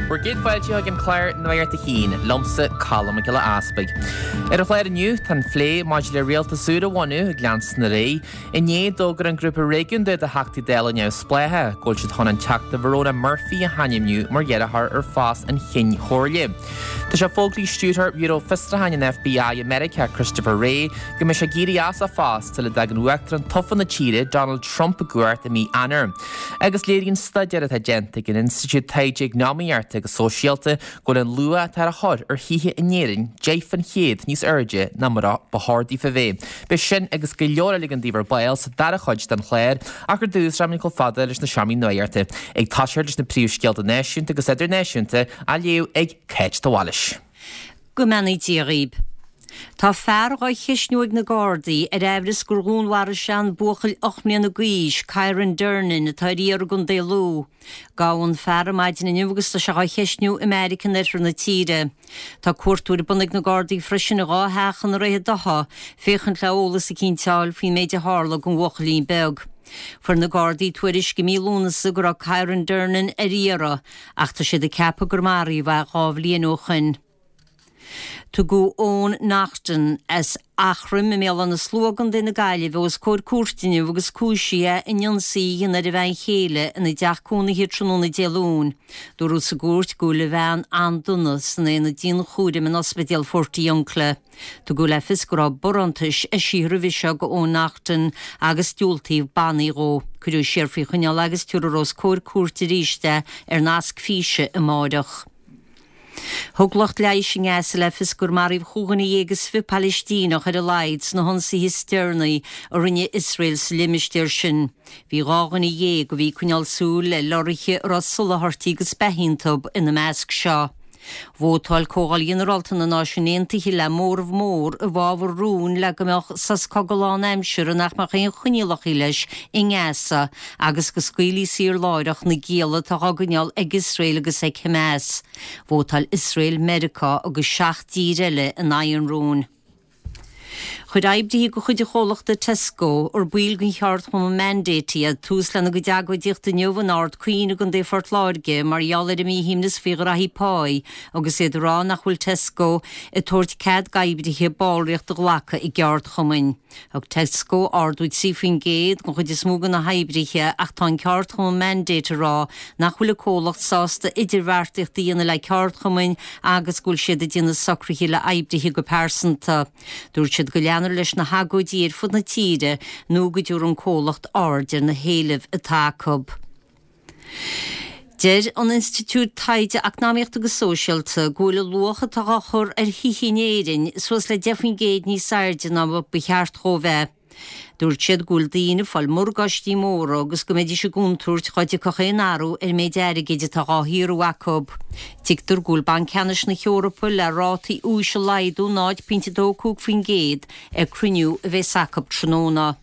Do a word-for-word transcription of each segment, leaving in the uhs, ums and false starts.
Bhur gcéad fáilte chuig an chlár Nuacht a hAon, liomsa Colm Mac Giolla Easpaig. Ar an chlár inniu tá an plé maidir le rialtas úr a bhunú ag leanstan ar aghaidh. Inné d'fhógair an grúpa réigiúnda de Theachtaí Dála neamhspleácha go bhfuil siad chun an Teachta Verona Murphy a hainmniú mar iarrthóir ar phost an Chinn Chomhairle. Tá sé fógraithe ag stiúrthóir Bhiúró Fiosrúcháin an FBI i Meiriceá Christopher Wray go mbeidh sé ag éirí as a phost sula dtagann uachtarán tofa na tíre Donald Trump i gcumhacht i mí Eanáir. Agus léiríonn staidéar atá déanta ag an Institiúid Taighde Eacnamaíochta agus Sóisialta go bhfuil an luach atá á chur ar thithe in Éirinn deich faoin gcéad níos airde ná mar ba chóir daofa bheith. Beidh sin agus go leor eile againn daoibh ar ball sa dara cuid den chlár ach ar dtús rachaimid chomh fada leis na seomraí nuachta ag toiseacht leis na príomhscéalta náisiúnta agus idirnáisiúnta á léamh ag Cáit de Bhailís. Go mbeannaí Dia dhaoibh. Tá fear á cheisniú ag na Gardaí ar amhras gur dhúnmharaigh sé an buachaill ocht mbliana d'aois, Kyran Durnin, atá ar iarraidh i gContae Lú. Gabhadh an fear ar maidin inniu agus tá sé á cheisniú i mbeairic in oirthear na tíre. Tá cuartú ar bun ag na Gardaí freisin i dhá theach i nDroichead Átha, féachaint le eolas eicínt a fháil faoin méid a tharla don bhuachaillín beag. Fuair na Gardaí tuairisc i mí Lúnasa go raibh Kyran Durnin ar iarraidh, ach tá siad ag ceapadh gur maraíodh é dhá bhliain ó shin. Tugadh Eoin Naughton as Eachroim i mBéal Átha na Slua i gContae na Gaillimhe os comhair cúirte inniu agus cúisithe in ionsaí a dhéanamh ar a bhean chéile ina dteach cónaithe tráthnóna Dé Luain. Dúradh sa gcúirt go bhfuil a bhean an-dona san aonad dianchúraim in ospidéal Phort Ùncla. Tugadh le fios go raibh barántais eisithe roimhe seo do Eoin Naughton agus diúltaíodh bannaí dhó. Cuireadh siar faoi choinneáil agus tabharfar os comhair cúirte arís é ar nasc físe amárach. Thug lucht leighis i nGaza le fios gur maraíodh chúig dhuine dhéag is fiche Palaistíneach ar a laghad sna hionsaithe is deireanaí a rinne Iosrael sa limistéar sin. Bhí dhá dhuine dhéag a bhí ag coinneáil súil le lorraithe a raibh soláthairtí agus beatha iontu ina measc seo. Vótáil Comhdháil Ghinearálta na Náisiún Aontaithe le móramh mór i bhfabhar rúin le go mbeadh sos cogaidh lánaimseartha nach mbeadh aon choinníollacha leis i nGaza agus go scaoilfí saor láithreach na gialla atá á gcoinneáil ag Iosrael agus ag Hamas. Vótáil Iosrael, Meiriceá agus seacht dtír eile in aghaidh an rúin. Chuir oibrithe de chuid an chomhlachta Tesco ar baill den cheardchumann Mandate iad tús lena gcuid agóidíochta inniu in Ard Caoin i gContae Phort Láirge mar gheall ar a míshuaimhneas faoi ghraithí páí agus iad ag rá nach bhfuil Tesco ag tabhairt cead d'oibrithe ballraíocht a ghlacadh i gceardchumainn. Thug Tesco ardú trí faoin gcéad don chuid is mó de na hoibrithe ach tá an ceardchumann Mandate ag rá nach bhfuil an comhlacht sásta idirbheartaíocht a dhéanamh le ceardchumainn agus go bhfuil siad ag déanamh socruithe le hoibrithe go pearsanta. Dúirt siad go leanfar leis na hagóidí ar fud na tíre nó go dtabharfaidh an comhlacht aird ar na héilimh atá acu. Deir an Institiúid Taighde Eacnamaíochta agus Sóisialta go bhfuil an luach atá á chur ar thithe in Éirinn suas le deich faoin gcéad níos airde ná ba cheart dhó bheith. Dúirt siad go bhfuil daoine ag fáil morgáistí móra agus go mbeidís i gcontúirt dá dtiocfadh aon athrú ar an méid airgid atá á shaothrú acu. Tuigtear go bhfuil Banc Ceannais na hEorpa le rátaí úis a laghdú náid pointe dó cúig faoin gcéad ag cruinniú a bheas acu tráthnóna.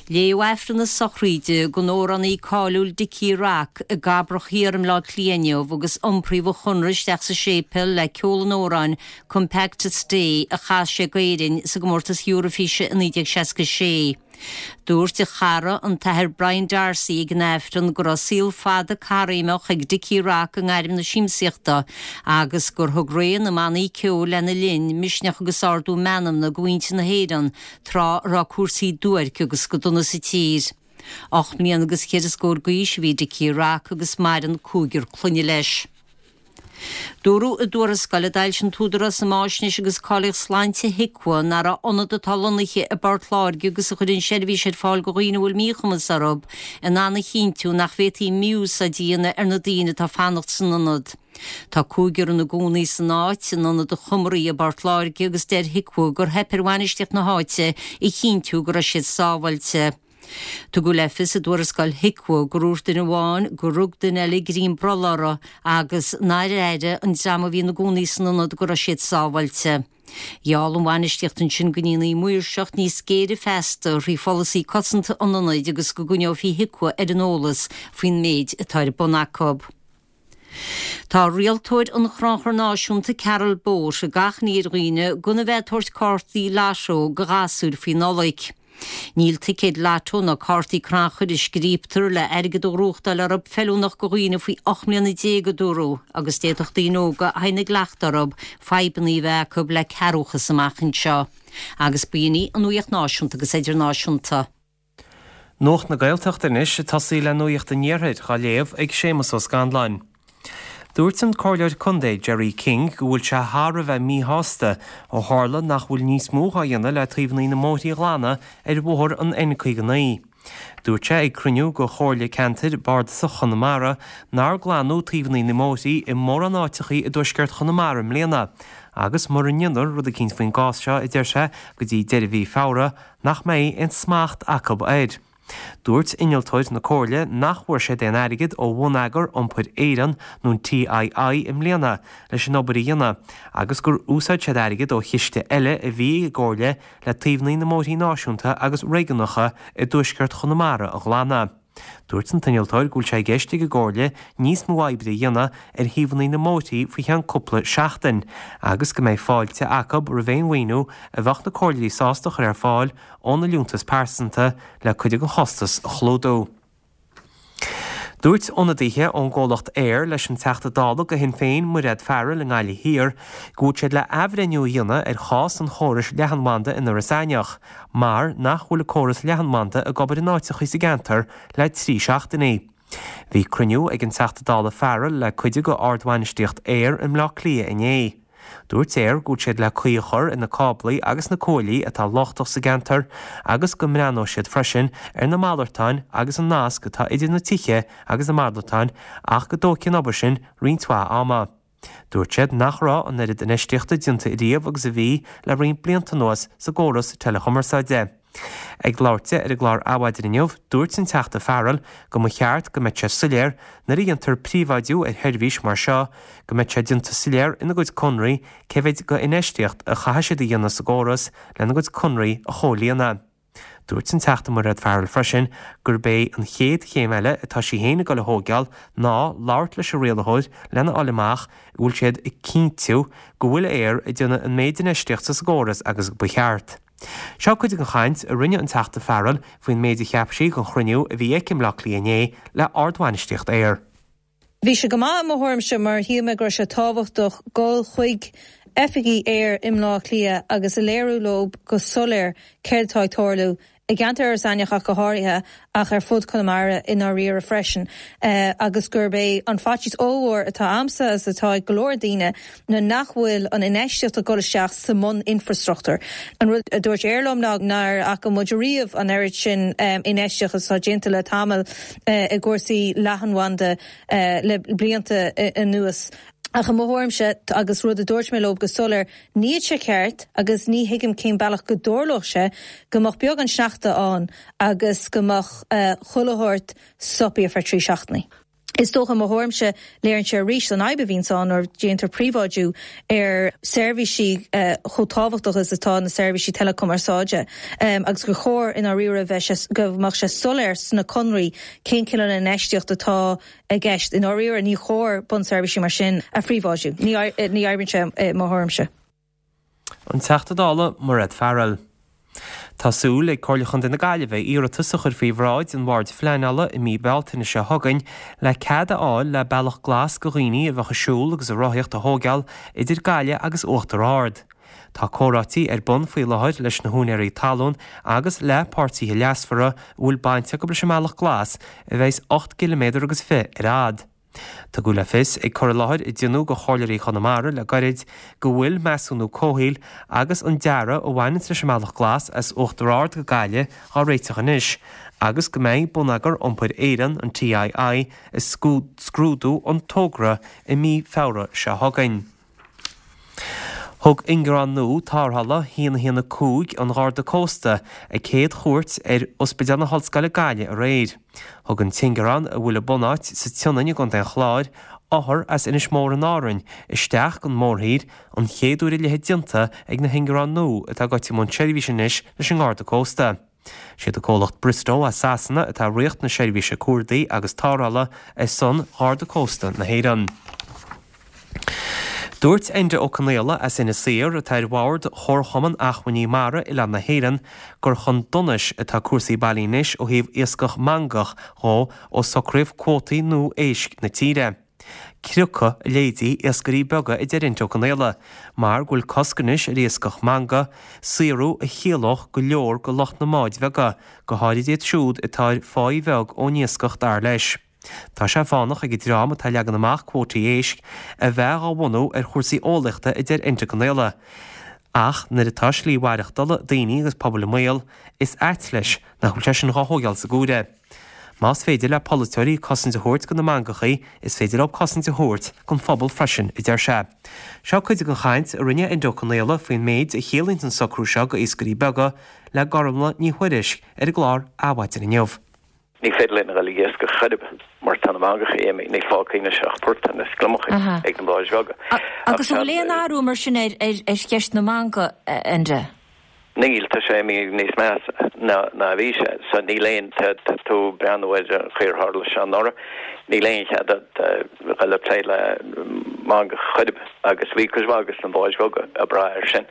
Léadh Aifreann na sochraide don amhránaí cáiliúil Dickie Rock i gCabrach Thiar i mBleá Cliath inniu agus iompraíodh a chonra isteach sa séipéal le ceol an amhráin Come Back to Stay a chas sé d'Éirinn sa gcomórtas Eurofíse i naoi déag seasca sé. Dúirt a chara an tAthair Brian D'Arcy ag an Aifreann go raibh saol fada caithréimeach ag Dickie Rock i ngairm na siamsaíochta agus gur thug ré na mbannaí ceoil lena linn misneach agus ardú meanmna do mhuintir na hÉireann tráth a raibh cúrsaí duairc agus go dona sa tír. Ocht mbliana agus ceithre scór d'aois a bhí Dickie Rock agus maireann cúigear clainne leis. Dúradh i dtuarascáil a d'fhoilsigh an tÚdarás um Fháisnéis agus Cáilíocht Sláinte HIQA nach raibh ionad atá lonnaithe i bPort Láirge agus a chuireann seirbhís ar fáil do dhaoine a bhfuil míchumas orthu in ann a chinntiú nach bhféadfaí mí-úsáid a dhéanamh ar na daoine atá ag fanacht san ionad. Tá cúigear ina gcónaí san áit in ionad an Chomaraigh i bPort Láirge agus deir HIQA gur theip ar bhainistíocht na háite a chinntiú go raibh siad sábháilte. Tugadh le fios i dtuarascáil HIQA gur dhúirt duine amháin gur rug duine eile greim brollaigh orthu agus nár airigh an dream a bhí ina gcónaí san ionad go raibh siad sábháilte. Gheall an bhainistíocht ansin go ndéanfaí maoirseacht níos géire feasta thrí pholasaí cosanta an ionaid agus go gcoinneofaí HIQA ar an eolas faoin méid atá ar bun acu. Tá rialtóir an Chrannchuir Náisiúnta Carol Bote ag achainí ar dhaoine gan a bheith ag tabhairt cártaí lotto do ghasúir faoi Nollaig. Níl ticéid lotto ná cártaí crannchuir a scríobtar le airgead a ghnóthachtáil orthu feiliúnach do dhaoine faoi ocht mbliana déag, a dúradh, agus d'fhéadfadh daoine óga a théann i gcleachtadh orthu fadhbanna a bheith acu le cearrbhachas amach anseo. Agus b'in í an nuacht náisiúnta agus idirnáisiúnta. Nuacht na Gaeltachta anois ag tosaí le Nuacht an Iarthair á léamh ag Séamus Ó Scanláin. Dúirt an Comhairleoir Contae Gerry King go bhfuil sé thar a bheith míshásta ó tharla nach bhfuil níos mó á dhéanamh le taobhanna na mbóithrí a ghlanadh ar bhóthar an N caoga naoi. Dúirt sé ag cruinniú de Chomhairle Ceantair Bardasach Chonamara nár glanadh taobhanna na mbóithrí i mórán áiteachaí i dtuaisceart Chonamara i mbliana agus mura ndéantar rud eicínt faoin gcás seo, a deir sé, go dtí deireadh mhí Feabhra, nach mbeidh aon smacht acu air. Dúirt innealtóir na Comhairle nach bhfuair siad aon airgead ó Bhonneagar Iompair Éireann nó an TII i mbliana leis an obair a dhéanamh agus gur úsáid siad airgead ó chiste eile a bhí ag an gComhairle le taobhanna na mbóithrí náisiúnta agus réigiúnacha i dtuaisceart Chonamara a ghlanadh. Dúirt an t-innealtóir go bhfuil sé i gceist ag an gComhairle níos mó oibre a dhéanamh ar thaobhanna na mbóithrí faoi cheann cúpla seachtain agus go mbeidh fáilte acu roimh aon mhaoiniú a bheadh na comhairleoirí sásta a chur ar fáil óna liúntas pearsanta le cuid den chostas a chlúdú. Dúirt ionadaithe ón gcomhlacht Eir leis an Teachta Dála do Shinn Féin, Mairéad Farrell i nGaillimh Thiar, go bhfuil siad le athbhreithniú a dhéanamh ar chás an chórais leathanbhanda in Iorras Aithneach mar nach bhfuil an córas leathanbhanda ag obair in áiteachaí sa gceantar le trí seachtainí. Bhí cruinniú ag an Teachta Dála Farrell le cuid de ardbhainistíocht Eir i mBleá Cliath inné. Dúirt Eir go bhfuil siad le caoi a chur ar na cáblaí agus na cuaillí atá lochtach sa gceantar agus go mbreathnóidh siad freisin ar na malartáin agus an nasc atá idir na tithe agus na malartáin ach go dtógfaidh an obair sin roinnt mhaith ama. Dúirt siad nach raibh an oiread infheistíochta déanta riamh agus a bhí le roinnt blianta anuas sa gcóras teileachumarsáide. Ag labhairt di ar an gclár Adhmhaidin inniu, dúirt an Teachta Farrell go mba cheart go mbeadh sé soiléir nuair a dhéantar príobháidiú ar sheirbhís mar seo, go mbeadh sé déanta soiléir ina gcuid conraí cé mhéid d'infheistíocht a chaithfidh siad a dhéanamh sa gcóras lena gcuid conraí a chomhlíonadh. Dúirt an Teachta Mairéad Farrell freisin gurb é an chéad chéim eile atá sí féin ag dul a thógáil ná labhairt leis an rialaitheoir lena fháil amach an bhfuil siad ag cinntiú go bhfuil Eir ag déanamh an méid infheistíochta sa gcóras agus ba cheart. Seo cuid den chaint a rinne an Teachta Farrell faoin méid a cheap sí den chruinniú a bhí aici i mBleá Cliath inné le ardbhainistíocht Eir. Bhí sé go maith i mo thuairimse mar shíl mé go raibh sé tábhachtach dul chuig oifigí Eir i mBleá Cliath agus a léiriú leo go soiléir céard atá ag tarlú i gceantar Iorras Aithneach ach go háirithe ach ar fud Chonamara i ndáiríre freisin agus gurb é an faitíos ollmhór atá a'msa agus atá ag go leor daoine ná nach bhfuil an infheistíocht ag dul isteach sa mbun-infreastruchtúr. An rud a dúirt Eir liom ná nár fhaca muid ariamh an oiread sin infheistíocht atá déanta le tamall i gcúrsaí leathanbhanda le blianta anuas. Ach i mo thuairimse, agus rud a dúirt mé leo go soiléir, níl sé ceart agus ní thuigim cén bealach go dtarlódh sé go mbeadh beagán sneachta ann agus go mbeadh chuile shórt stoptha ar feadh trí seachtainí. Is dócha i mo thuairimse, léiríonn sé arís an fhadhb a bhíonns ann nuair a déantar príobháidiú ar seirbhísí chomh tábhachtach is atá na seirbhísí teileachumarsáide agus gur chóir i ndáiríre bheith sé go mbeadh sé soiléir sna conraí cén cineál infheistíocht atá i gceist. I ndáiríre, ní chóir bunseirbhísí mar sin a phríobháidiú. Ní oibríonn sé i mo thuairimse. An Teachta Dála Mairéad Farrell. Tá súil ag Comhairle Chontae na Gaillimhe iarratas a chur faoi bhráid an Bhoird Phleanála i mí Bealtaine seo chugainn le cead a fháil le bealach glas do dhaoine a bheadh ag siúl agus ag rothaíocht a thógáil idir Gaillimh agus Uachtar Ard. Tá comhráití ar bun faoi láthair leis na húinéirí talún agus le páirtithe leasmhara a bhfuil baint acu leis an mBealach Glas a bheas ocht gciliméadar agus fiche ar fhad. Tugadh le fios ag cur i láthair a deineadh do Chomhairleoirí Chonamara le gairid go bhfuil measúnú comhshaoil agus an dearadh a bhaineanns leis an mBealach Glas as Uachtar Ard go Gaillimh á réiteach anois agus go mbeidh Bonneagar Iompair Éireann, an TII, ag scrúdú an togra i mí Feabhra seo chugainn. Thug ingearán nua tarrthála a haon a haon a cúig an Gharda Cósta a céad chuairt ar Ospidéal na hOllscoile Gaillimh aréir. Thug an t-ingearán, a bhfuil a bunáit sa tSionainn i gContae an Chláir, othar as Inis Mór in Árainn isteach don mórthír, an chéad uair a leithéid déanta ag na hingearáin nua atá goite i mbun seirbhíse anois leis an nGarda Cósta. Siad an comhlacht Bristow as Sasana atá ag rith na seirbhíse cuardaigh agus tarrthála ar son Gharda Cósta na hÉireann. Dúirt Enda Ó Conaola as Inis Oírr atá ar bhord Chomharchumann Acmhainní Mara Oileán na hÉireann gur chun donais atá cúrsaí bailithe anois ó thaobh iascach mangach dhó ó socraíodh cuótaí nua éisc na tíre. Criochadh a leithéidí iascairí beaga a deir Enda Ó Conaola, mar go bhfuil cosc anois ar iascach mangach, saothrú a chiallódh go leor go lucht na mbád bheaga, go háirid iad siúd atá ar pháí bheag ón iascach dar leis. Tá sé fánach ag an dream atá ag leagan amach cuótaí éisc a bheith á bhunú ar chúrsaí eolaíochta a deir Enda Ó Conaola. Ach nuair atá slí mhaireachtála daoine agus pobail i mbaol, is ait leis nach bhfuil sé sin dhá thógáil sa gcomhaireamh. Más féidir le polaiteoirí cosaint a thabhairt go na mangachaí, is féidir leo cosaint a thabhairt don phobal freisin, a deir sé. Seo cuid den chaint a rinne Enda Ó Conaola faoin méid a chiallaíonn an socrú seo go iascairí beaga le Gormlaith Ní Thuairisg ar an gclár Adhmhaidin inniu. Ní féidir linn a dhul ag iascach chor ar bith mar tá na mangachaí imithe, ní fágtha anois ach portáin is gliomachaí ag na báid bheaga. Agus an bhfuil aon athrú mar sin ar ar cheist na mangach, Enda? Níl, tá sé imithe níos measa ná ná a bhí sé. So níl aon, tá tú ag breathnú ar an chaoi ar tharla sé anuraidh, níl aon chead agat a dhul ag plé le mangach chor ar bith agus bhí cuid mhaith de na báid bheaga ag brath air sin.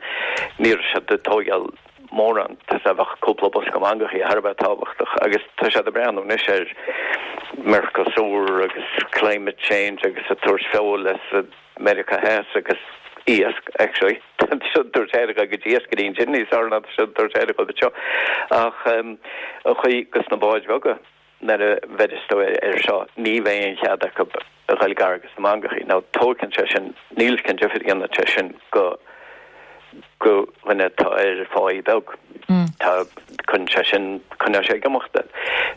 Ní raibh siad ag tógáil mórán, tá sé bheadh cúpla bosca mangachaí thar a bheith tábhachtach agus tá siad ag breathnú anois ar Mercosur agus climate change agus ag tabhairt feoil as Meiriceá Theas agus iasc actually tá siad ag tabhairt aire go dtí iascairí ansin níos fearr ná tá siad ag tabhairt aire go seo ach an chaoi gus na báid bheaga nuair a bheireas tú air seo ní bheidh aon chead acu a dhul gar gus na mangachaí nó tógann sé sin níl cén difear a dhéanann sé sin go go dhuine atá ar pháí beag. Tá cuireann sé sin coinneoidh sé ag imeacht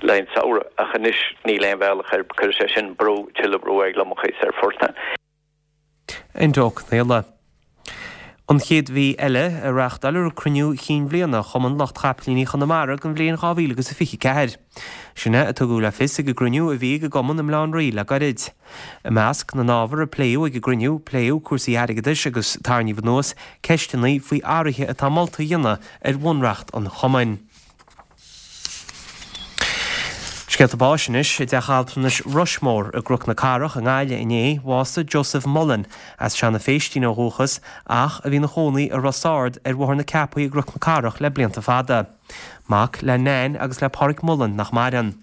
le an samhradh ach anois níl aon bhealach ar cuirfidh sé sin brú tuilleadh brú ar gliomachaí is ar phortáin. Enda Ó Conaola. An chéad mhí eile a reáchtáilfear cruinniú chinn bhliana Chumann Lucht Chapaillíní Chonamara don bhliain dhá mhíle agus a fiche ceathair. Sin é a tugadh le fios ag an gcruinniú a bhí ag an gcumann i mBaile Átha an Rí le gairid. I measc na n-ábhar a pléadh ag an gcruinniú, pléadh cúrsaí airgeadais agus tarraingíodh anuas ceisteanna faoi athruithe atá molta a dhéanamh ar bhunreacht an chumainn. Scéalta báis anois i dteach altranais Rushmore i gCnoc na Cathrach i nGaillimh inné, bhásaigh Joseph Mullen as Seanadh Phéistín ó dhúchas ach a bhí ina chónaí i Ros Ard ar Bhóthar na Ceapaí i gCnoc na Cathrach le blianta fada. Mac le Nan agus le Pádraig Mullen nach maireann.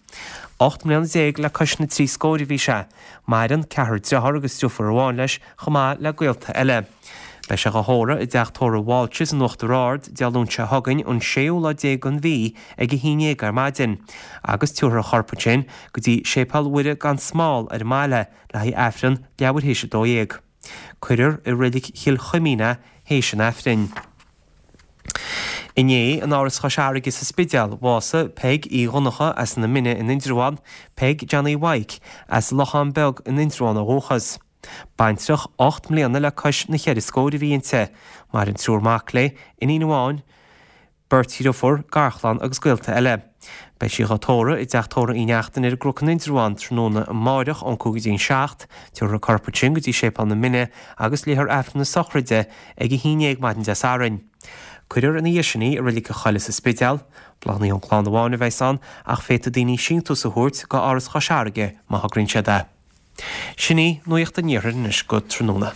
Ocht mbliana déag le cois na trí scóir a bhí sé. Maireann ceathrar dearthár agus deirfiúr amháin leis chomh maith le gaolta eile. Beidh sé á thórramh i dteach tórraimh Walsh's in Uachtar Ard Dé Luain seo chugainn an séú lá déag den mhí ag a haon déag ar maidin, agus tabharfar a chorp ansin go dtí Séipéal Mhuire gan Smál ar an mbaile le haghaidh Aifreann leathuair théis a dó dhéag. Cuirfear i Reilig Chill Chuimín é théis an Aifrinn. Inné, in Áras Chois Fharraige sa Spidéal, bhásaigh Peig Uí Dhonncha as na Mine in Indreabhán, Peig Johnny Mhaidhc as Lochán Beag in Indreabhán ó dhúchas. Baintreach ocht mbliana le cois na cheithre scór a bhí inti. Maireann triúr mac léi, iníon amháin, beirt dheirfiúr, garchlann agus gaolta eile. Beidh sí á tórramh i dteach tórraimh Uí Neachtain ar an gCnoc in Indreabhán tráthnóna amáireach ón cúig go dtí an seacht, tabharfar a corp ansin go dtí Séipéal na Mine agus léifear Aifreann na sochraide ag a haon déag maidin Dé Sathairn. Cuirfear ina dhiaidh sin í i Reilig an Choilligh sa Spidéal. Bláthanna ón gclann amháin a bheas ann ach féadfaidh daoine síntiús a thabhairt go Áras Chois Fharraige má thograíonn siad é. Sin í Nuacht an Iarthair anois go tráthnóna.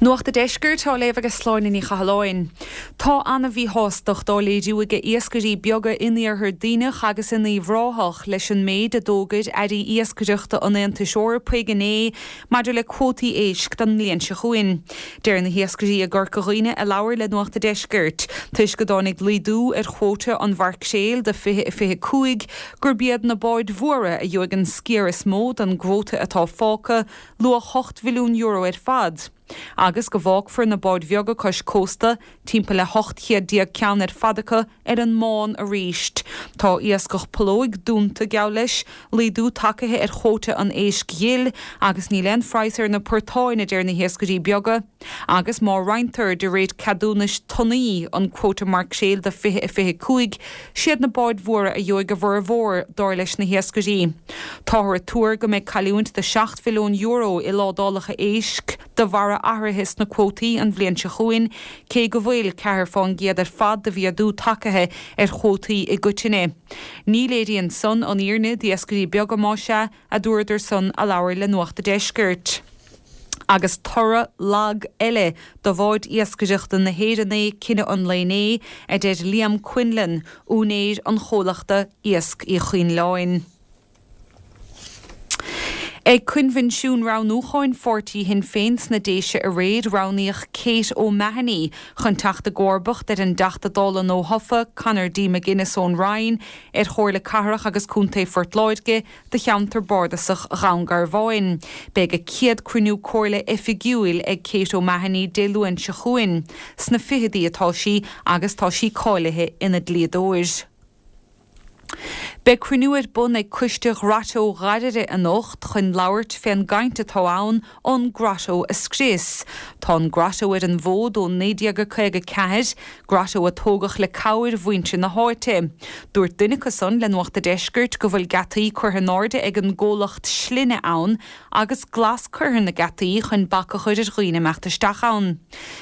Nuacht an Deiscirt á léamh ag Sláine Ní Chathalláin. Tá an-mhíshástacht á léiriú ag iascairí beaga in iarthar Duibhneach agus in Uíbh Ráthach leis an méid a d'fhógair airí iascaireachta an Aontais Eorpaigh inné maidir le cuótaí éisc don mbliain seo chugainn. Deir na hiascairí i gCorca Dhuibhne a labhair le Nuacht an Deiscirt, toisc go dtáinig laghdú ar chuóta an mhaircréil do fiche a fiche cúig gurb iad na báid mhóra a gheobhaidh an sciar is mó den gcuóta atá fágtha, luach ocht mhilliún euro ar fad. Agus go bhfágfar na báid bheaga cois cósta, timpeall le hocht chéad déag ceann ar fad acu, ar an mbán arís. Tá iascach pollóig dúnta, geall leis, laghdú tagtha ar chuóta an éisc ghil agus níl aon phraghas ar na portáin, a deir na hiascairí beaga. Agus má roinntear de réir ceadúnais tonnaí an cuóta maircréil do fiche a fiche cúig, siad na báid mhóra a gheobhaidh a bhformhór, dar leis na hiascairí. Táthar ag tuar go mbeidh cailliúint de seacht mhilliún euro i ládálacha éisc de bharra athruithe sna cuótaí an bhliain seo chugainn, cé go bhfuil ceathair fán gcéad ar fad de mhéadú tagtha ar chuótaí i gcoitinne. Ní léiríonn san an fhírinne d'iascairí beaga más ea, a dúradar san a labhair le Nuacht an Deiscirt. Agus toradh lag eile do bháid iascaireachta na hÉireann é cinneadh an lae inné, a deir Liam Quinlan, úinéir an chomhlachta Iasc Uí Choinleáin. Ag coinbhinsiún roghnúcháin pháirtí Shinn Féin sna Déise aréir, roghnaíodh Kate O'Mahony chun teacht i gcomharbacht ar an dTeachta Dála nuathofa, Conor D McGuinness ón Rinn, ar Chomhairle Cathrach agus Contae Phort Láirge do cheantar bardasach Dhún Garbháin. Beidh a céad cruinniú comhairle oifigiúil ag Kate O'Mahony Dé Luain seo chugainn. Sna fichidí atá sí agus tá sí cáilithe ina dlíodóir. Beidh cruinniú ar bun ag Coiste Ghrotto Ghairire anocht chun labhairt fén gcaint atá ann an Grotto a scrios. Tá an Grotto ar an bhfód ó naoi déag caoga ceathair, grotto a tógadh le cabhair mhuintir na háite. Dúirt duine acu san le Nuacht a' Deiscirt go bhfuil geataí curtha in airde ag an gcomhlacht slinne ann agus glas curtha ar na geataí chun bac a chur ar dhaoine imeacht isteach ann.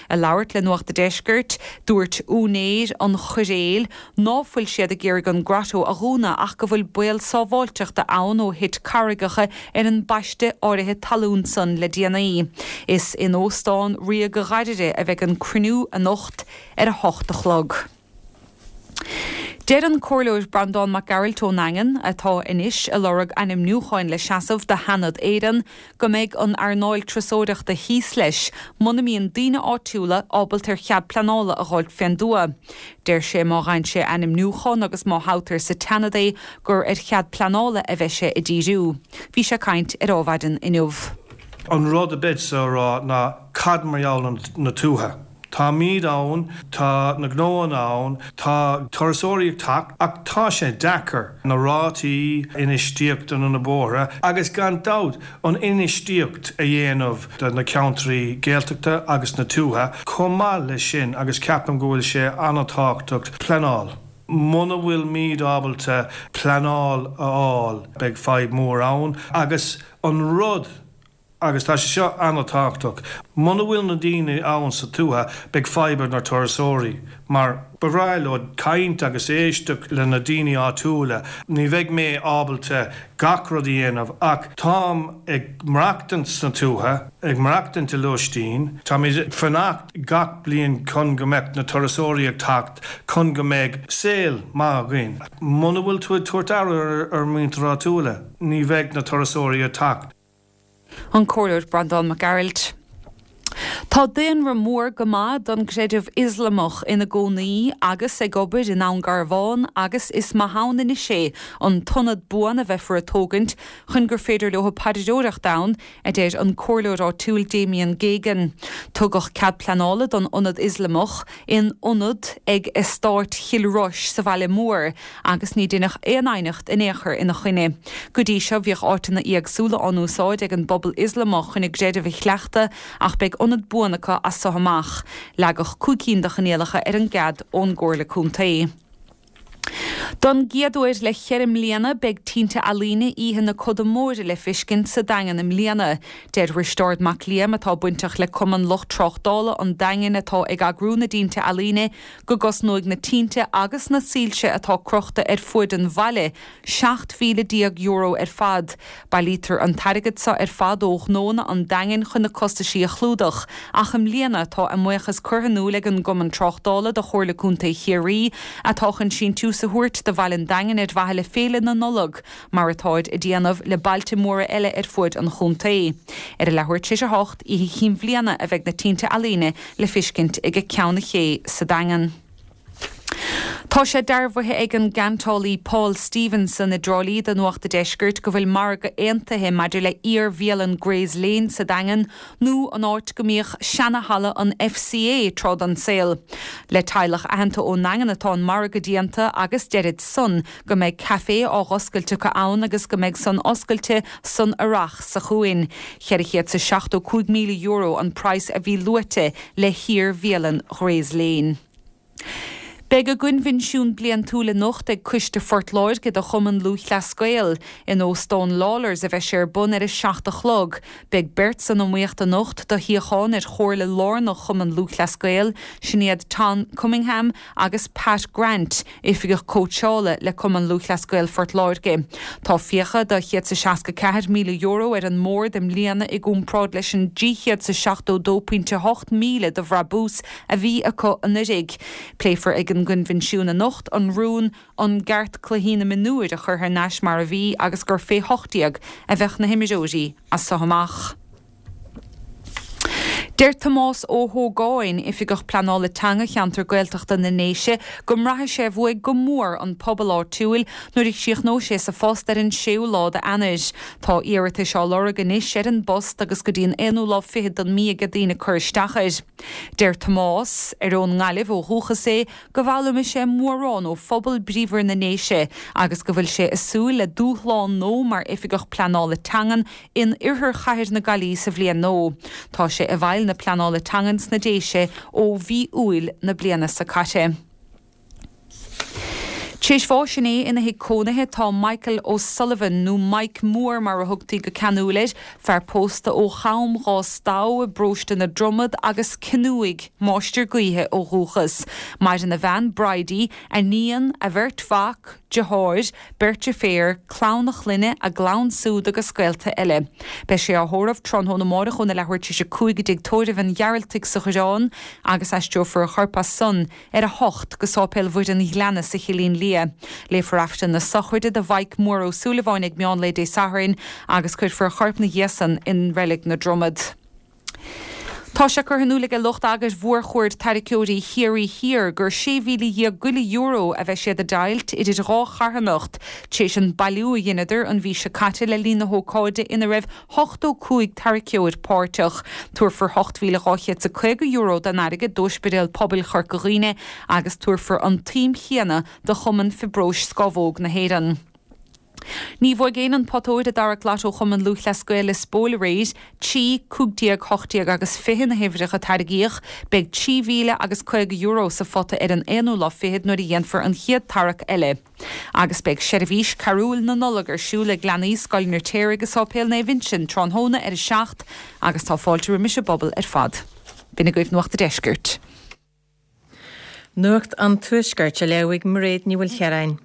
Ag labhairt le Nuacht a' Deiscirt, dúirt úinéir an choiréil ná fuil siad ag iarraidh an Grotto a dhúnadh ach go bhfuil baol sábháilteachta ann ó thit carraigeacha ar an bpaiste áirithe talún san le déanaí. Is in Óstán Ríoga Ghairire a bheidh an cruinniú anocht ar a hocht a chlog. Deir an Comhairleoir Breandán Mac Gearailt ón nDaingean, atá anois ag lorg ainmniúcháin le seasamh do Sheanad Éireann, go mbeidh an earnáil turasóireachta thíos leis muna mbíonn daoine áitiúla ábalta ar chead pleanála a dh'fháilt fén dtuath. Deir sé má fhaigheann sé ainmniúchán agus má thoghtar sa tSeanad é gur ar chead pleanála a bheidh sé ag díriú. Bhí sé ag caint ar Adhmhaidin inniu. An rud a bheadsa a rá ná cad mar gheall ar na tuaithe? Táimid ann, tá na gnóanna ann, tá turasóirí ag teacht ach tá sé deacair na rátaí infheistíochta na bóithre agus gan dabht an infheistíocht a dhéanamh do na ceantraí Gaeltachta agus na tuaithe chomh maith leis sin agus ceapaim go bhfuil sé an-tábhachtach pleanáil. Muna bhfuilimid ábalta pleanáil a fháil beidh fadhb mór ann agus an rud Agus tá sé seo an-tábhachtach, muna bhfuil na daoine ann sa tuath, beidh fadhb ag na turasóirí, mar ba bhreá leo caint agus éisteacht le na daoine áitiúla. Ní bheidh mé ábalta gach rud a dhéanamh ach táim ag maireachtaint sna tuaithe, ag maireachtaint i lóistín, táimid ag fanacht gach bliain chun go mbeadh na turasóirí ag teacht, chun go mbeidh saol maith againn. Muna bhfuil tú ag tabhairt aire ar muintir áitiúla, ní bheidh na turasóirí ag teacht. An Comhairleoir Breandán Mac Gearailt. Tá daonra mór go maith don gcreideamh Ioslamach ina gcónaí agus ag obair i nDún Garbhán agus is maith ann anois é an t-ionad buan a bheifear ag tógaint chun gur féidir leo paidreoireacht ann, a deir an comhairleoir áitiúil Damien Geoghegan. Tugadh cead pleanála don ionad Ioslamach in ionad ag Eastát Chill Rois sa bhaile mór agus ní deineadh aon aighneacht in aon chor ina choinne. Go dtí seo bhíodh áiteanna éagsúla á n-úsáid ag an bpobal Ioslamach chun a gcreideamh a chleachtadh ach beidh ionad buan acu as so amach. Leagadh cúig cinn de choinníollacha ar an gcead ón gComhairle Contae. Don gcéad uair le ceithre mbliana beidh tinte ealaíne Oíche na Coda Móire le feiscint sa Daingean i mbliana. Deir Risteárd Mac Liam, atá bainteach le Cumann Lucht Tráchtála an Daingin atá ag eagrú na dtinte ealaíne, go gcosnóidh na tinte agus na soilse atá crochta ar fuaid an bhaile seacht mhíle déag euro ar fad. Bailítear an t-airgead seo ar fad ó ghnóanna an Daingin chun na costaisí a chlúdach, ach i mbliana tá a mbuíochas curtha in iúl ag an gCumann Tráchtála do Chomhairle Contae Chiarraí atá chun síntiús a thabhairt do bhaile an Daingin ar mhaithe le Féile na Nollag, mar atáid ag déanamh le bailte móra eile ar fuaid an chontae. Ar a leathuair tar éis a hocht, Oíche Chinn Bhliana, a bheidh na tinte ealaíne le feiscint ag Ceann an Ché sa Daingean. Tá sé dearbhaithe ag an gceantálaí Paul Stevenson i dTrá Lí do Nuacht a' Deiscirt go bhfuil margadh aontaithe maidir le iar-bhialann Gray's Lane sa Daingean nó an áit go mbíodh seana-halla an FCA tráth den saol. Le teaghlach aitheanta ón nDaingean atá an margadh déanta agus deirid san go mbeidh caifé á dh'oscailt acu ann agus go mbeidh san oscailte san earrach seo chugainn. Ceithre chéad 's a seachtó cúig míle euro an praghas a bhí luaite le hiar-bhialann Gray's Lane. Beidh a gcoinbhinsiún bliantúil anocht ag Coiste Phort Láirge de Chumann Lúthchleas Gael in Óstán Lawlor's a bheidh sé ar bun ar a seacht a chlog. Beidh beirt san iomaíocht anocht do shuíochán ar Chomhairle Lárnach Chumann Lúthchleas Gael, sin iad Tom Cunningham agus Pat Grant, oifigeach cóitseála le Cumann Lúthchleas Gael Phort Láirge. Tá fiacha de chéad is seasca ceathair míle euro ar an mbord i mbliana i gcomparáid leis an trí chéad is seachtó dó pointe hocht míle de bhrabús a bhí acu anuraidh. Pléifear ag an gcoinbhinsiún anocht an rún an gceart cluichí na mionúir a chur thar n-ais mar a bhí agus gur fé hocht déag a bheadh na himreoirí as so amach. Deir Tomás Ó hÓgáin, oifigeach pleanála teanga cheantar Gaeltachta na nDéise, go mbraithfidh sé uaidh go mór an pobal áitiúil nuair a chríochnóidh sé sa phost ar an séú lá d'Eanáir. Tá iarratais á lorg anois ar an bpost agus go dtí an aonú lá fichead den mhí ag daoine cur isteach air. Deir Tomás, ar ón nGaillimh ó dhúchas é, go bhfoghlaimeoidh sé mórán ó phobal bríomhar na nDéise agus go bhfuil sé ag súil le dúshlán nua mar oifigeach pleanála teangan in oirthear chathair na Gaillimhe sa bhliain nua. Tá sé i bhfeighil na pleanála teangan sna Déise ó mhí Iúil na bliana seo caite. Tar éis bháis inné ina thigh cónaithe tá Michael O'Sullivan nó Mike Moore mar a thugtaí go ceanúil air, fear pósta ó Cham Dhá Stamh i bparóiste na Dromad agus Cionúigh, máistir gaoithe ó dhúchas. Maireann a bhean Bridie, a níon, a bheirt mhac, deartháir, beirt deirféar, clann a chlainne, a gclann súd agus gaolta eile. Beidh sé á thórramh tráthnóna amárach óna leathuair tar éis a cúig i dtigh tórraimh an Ghearaltaigh sa Choireán agus aistreofar a chorp as san ar a hocht go Sáipéal Mhuire an Ghleanna sa Chillín Liath. Léifear Aifreann na sochraide do Mhike Mór Ó Súilleabháin ag meán lae Dé Sathairn agus cuirfear a chorp ina dhiaidh san in Reilig na Dromad. Tá sé curtha in iúl ag lucht eagair mhórchuaird tarraiceoirí Chiarraí Thiar gur sé mhíle dhéag go leith euro a bheidh siad ag deighilt idir dhá charthanacht, tar éis an bailiú a dheineadar an mhí seo caite le linn na hócáide ina raibh ochtó cúig tarraiceoir páirteach. Tabharfar ocht mhíle dhá chéad is caoga euro den airgead d'Ospidéal Pobail Chorca Dhuibhne agus tabharfar an tsuim chéanna do Chumann Fiobróis Scamhóg na hÉireann. Ní bhuaigh éinne an pota óir i dtarrac Lotto Chumann Lúthchleas Gael Lios Póil aréir, trí, cúig déag, hocht déag agus fiche na huimhreacha a tarraingíodh, beidh trí mhíle agus caoga euro sa phota ar an aonú lá fichead nuair a dhéanfar an chéad tarrac eile. Agus beidh seirbhís carúil na Nollag ar siúl ag leanaí Scoil an Fheirtéaraigh i Sáipéal Naomh Uinseann tráthnóna ar a seacht agus tá fáilte roimis an bpobal ar fad. B'in agaibh Nuacht an Deiscirt. Nuacht an Tuaiscirt á léamh ag Mairéad Ní Mhaoilchiaráin.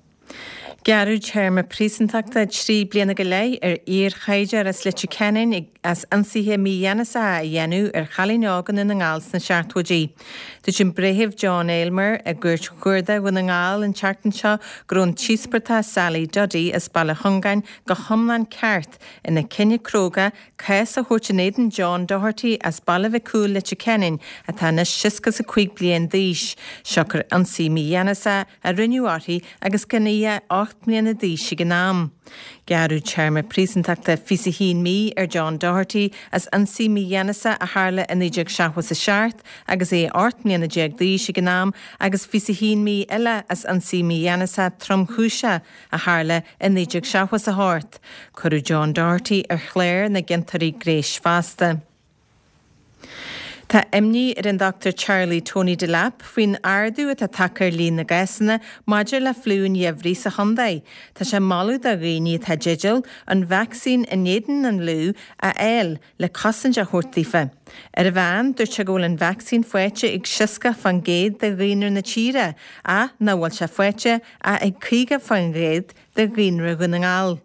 Gearradh téarma príosúntachta trí bliana go leith ar iar-shaighdiúir as Leitir Ceanainn as ionsaithe mígheanasacha a dhéanamh ar chailín óg i nDún na nGall sna seachtóidí. Dúirt an Breitheamh John Aylmer i gCúirt Chuarda Dhún na nGall an tseachtain seo go raibh an t-íospartach Sally Duddy as Baile Chongáin go hiomlán ceart ina cinneadh cróga cás a thabhairt in éadan John Doherty as Baile Mhic Cumhaill Leitir Ceanainn atá anois seasca is a cúig bliain d'aois, siocair ionsaí mígheanasach a rinneadh uirthi agus gan í ach ocht mbliana d'aois ag an am. Gearradh téarma príosúntachta fiche a haon mí ar John Doherty as ionsaí mígheanasach a tharla i naoi déag seachtó a seacht agus é ocht mbliana déag d'aois ag an am agus fiche a haon mí eile as ionsaí mígheanasach tromchúiseach a tharla i naoi déag seachtó a hocht. Cuireadh John Doherty ar chlár na gciontóirí gnéis fosta. Tá imní ar an Dr Charlie Tony Delap faoin ardú atá tagtha ar líon na gcásanna maidir le fliú an gheimhridh sa chontae. Tá sé ag moladh do dhaoine atá i dteideal an vacsaín in éadan an fhliú a fháil le cosaint a thabhairt daofa. Ar an mheán, dúirt sé go bhfuil an vacsaín faighte ag seasca faoin gcéad de dhaonra na tíre, ach nach bhfuil sé faighte ach ag caoga faoin gcéad de dhaonra Dhún na nGall.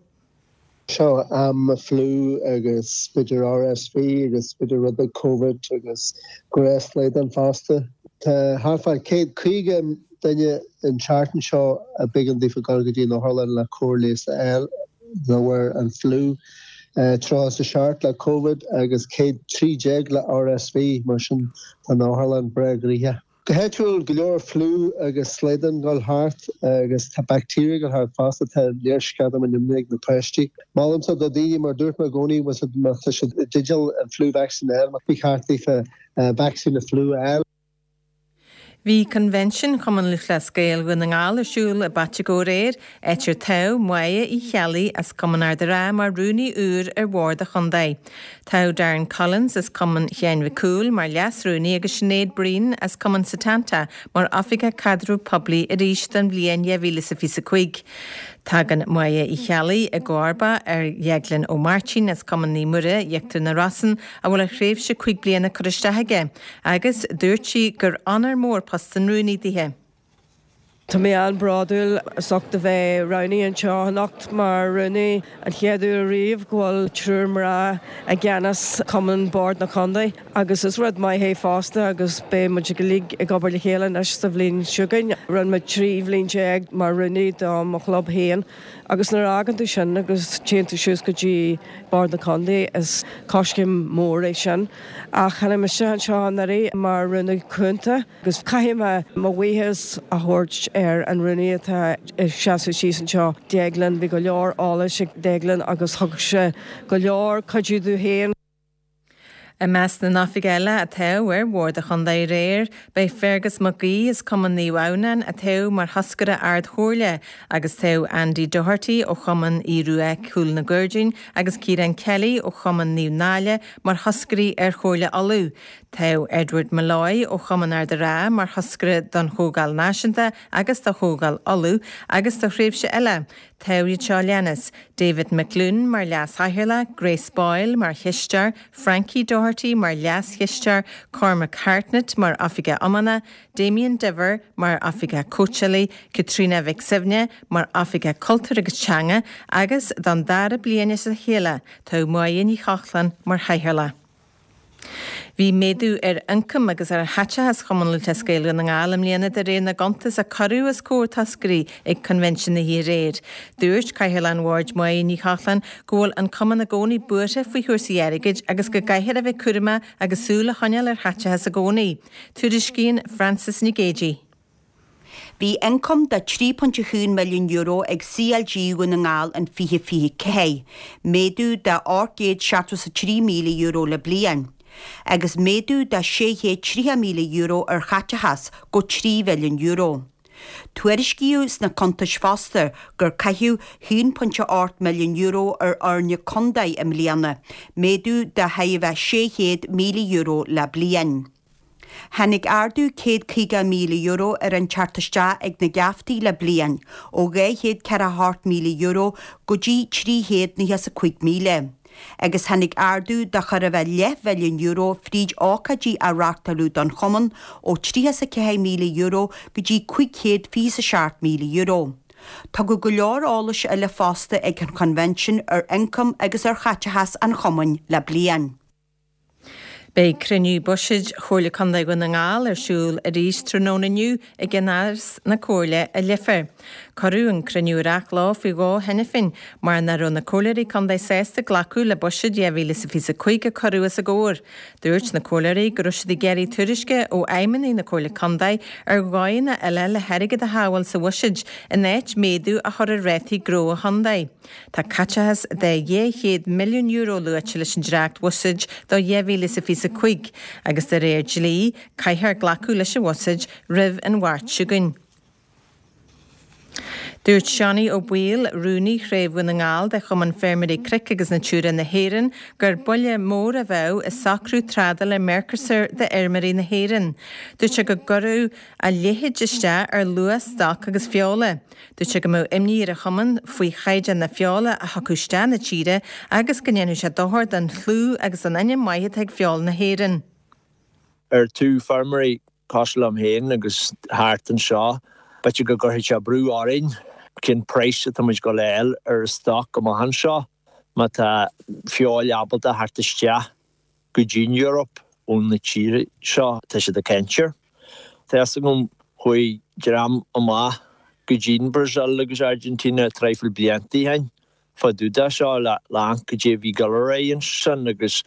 Seo am fliú agus b'fhéidir RSV agus b'fhéidir rud beag Covid agus gnéas fosta. Tá thart fá céad caoga duine an tseachtain seo a b'éigean daofa dul go dtí an otharlann le cóir leighis a fháil de bharr an fliú. Tríocha is a seacht le Covid agus céad trí déag le RSV mar sin tá an otharlann breá gnoitheach. Go háitiúil go leor fliú agus slaghdán dul thart agus tá baictéir dul thart fosta tá léirsceadam an imní ag na páistí. Molaimse do daoine mar dúirt mé i gcónaí má tá siad i dteideal an flu vaccine a fháil, ba cheart daofa vacsaín na fliú a fháil. Bhí Convention Chumann Lúthchleas Gael Dhún na nGall ar siúl i bPaiteagó aréir, áit ar toghadh Máire Uí Cheallaigh as Cumann Ard an Rátha mar rúnaí úr ar bhord an chontae. Toghadh Darren Collins as Cumann Sheáin Mhic Cumhaill mar leas-rúnaí agus Sinéad Breen as Cumann Setanta mar Oifigeach Caidreamh Poiblí arís don bhliain dhá mhíle is a fiche cúig. Tagann Máire Uí Cheallaigh i gcomharba ar Dheaglán Ó Máirtín as Cumann Naomh Muire, Íochtar na Rosann, a bhfuil a thréimhse cúig bliana curtha isteach aige, agus dúirt sí gur onóir mór post an rúnaí dithe. Tá mé an-bhródúil as ucht a bheith roghnaithe anseo anocht mar rúnaí an chéad uair riamh go bhfuil triúr mná i gceannas Cumann Bord na Contae agus is rud maith é fosta agus beidh muid uilig ag obair le chéile anois sa bhliain seo chugainn. Rinne mé trí bhliain déag mar rúnaí do mo chlub féin agus nuair a fhágann tú sin agus téann tú suas go dtí Bord na Contae is coiscéim mór é sin. Ach tháinig mise anseo anuraidh mar rúnaí cúnta agus caithfidh mé mo bhuíochas a thabhairt ar an rúnaí atá ag seasamh síos anseo, Deaglán, bhí go leor eolais ag Deaglán agus thug sé go leor cuidiú domh féin. I measc na n-oifigeach eile a toghadh ar bhord an chontae aréir, beidh Fergus Mac Aoidh as Cumann Naomh Adhamhnáin a toghadh mar thoscaire Ard-Chomhairle agus toghadh Andy Doherty ó Chumann Aodh Rua Cúl na gCuirdín agus Ciarán Kelly ó Chumann Naomh Náille mar thoscairí ar Chomhairle Uladh. Toghadh Edward Molloy ó Chumann Ard an Rátha mar thoscaire don Chomhdháil Náisiúnta agus do Chomhdháil Uladh agus do thréimhse eile. Toghadh iad seo a leanas, David McLoone mar Leas-Chathaoirleach, Grace Boyle mar Chisteoir, Frankie Doherty mar Leas-Chisteoir, Cormac Hartnett mar Oifigeach Iomána, Damien Diver mar Oifigeach Cóitseálaí, Caitríona Mhic Suibhne mar Oifigeach Cultúir agus Teanga agus, don dara bliain as a chéile, toghadh Máire Ní Chochláin mar Chathaoirleach. Bhí méadú ar ioncam agus ar chaiteachas Chumann Lúthchleas Gael Dhún na nGall i mbliana de réir na gcuntas a cuireadh os comhair toscairí ag Coinbhinsiún na hoíche aréir. Dúirt Cathaoirleach an Bhoird Máire Ní Chochláin go bhfuil an cumann i gcónaí buartha faoi chúrsaí airgid agus go gcaithfear a bheith cúramach agus súil a choinneáil ar chaiteachas i gcónaí. Tuairiscíonn Frances Nic Géadaigh. Bhí ioncam de trí ponc a haon milliún euro ag CLG Dhún na nGall in fiche fiche ceathair, méadú de ocht gcéad seachtó is a trí míle euro le bliain, agus méadú de sé chéad tríocha míle euro ar chaiteachas go trí mhilliún euro. Tuairiscíodh sna cuntais fosta gur caitheadh haon ponc a ocht milliún euro ar fhoirne contae i mbliana, méadú de chóir a bheith sé chéad míle euro le bliain. Tháinig ardú céad caoga míle euro ar an teacht isteach ag na geaftaí le bliain, ó dhá chéad ceathracha hocht míle euro go dtí trí chéad nócha is a cúig míle. Agus tháinig ardú de chóir a bheith leathmhilliún euro fríd ócáidí a reáchtáladh don chumann, ó tríocha is a ceathair míle euro go dtí cúig chéad fiche is a seacht míle euro. Tugadh go leor eolais eile fosta ag an Choinbhinsiún ar ioncam agus ar chaiteachas an chumainn le bliain. Beidh cruinniú buiséid Chomhairle Contae Dhún na nGall ar siúl arís tráthnóna inniu i gceannáras na Comhairle i Leifear. Cuireadh an cruinniú ar athló faoi dhó cheana féin mar nach raibh na comhairleoirí contae sásta glacadh le buiséad dhá mhíle is a fiche a cúig a cuireadh os a gcomhair. Dúirt na comhairleoirí go raibh siad ag iarraidh tuairisce ó fheidhmeannaigh na Comhairle Contae ar dhóigheanna eile le hairgead a shábháil sa bhuiséad in áit méadú a chur ar rátaí gnó an chontae. Tá caiteachas de dhá chéad milliún euro luaite leis an dréacht-bhuiséad do dhá mhíle is a fiche a cúig agus de réir dlí, caithfear glacadh leis an bhuiséad roimh an Mháirt seo chugainn. Dúirt Seánie Ó Baoill, rúnaí Chraobh Dhún na nGall de Chumann Feirmeoirí Cnoic agus Natura na hÉireann, gur buille mór a bheadh i socrú trádála Mercosur d'fheirmeoirí na hÉireann. Dúirt sé go gcuirfeadh a leithéid isteach ar luach stoc agus feola. Dúirt sé go mbeadh imní ar a chumann faoi chaighdeán na feola a thiocfadh isteach na tíre agus go ndéanfadh sé dochar don chlú agus don ainm maith atá ag feoil na hÉireann. Ar taobh feirmeoirí cosúil liom féin agus thart anseo, b'fhéidir go gcuirfidh sé brú orainn cén praghas atá muid ag gabháil a fháil ar an stoc amach anseo má tá feoil ábalta a theacht isteach go dtí an Eoraip ó na tíortha seo atá siad ag caint air. Tá fhios agam chuaigh dream amach go dtí an Brazil agus Argentina traidhfil blianta ó shin fá dtaobh de seo le amharc caidé a bhí ag dul ar aghaidh ansin agus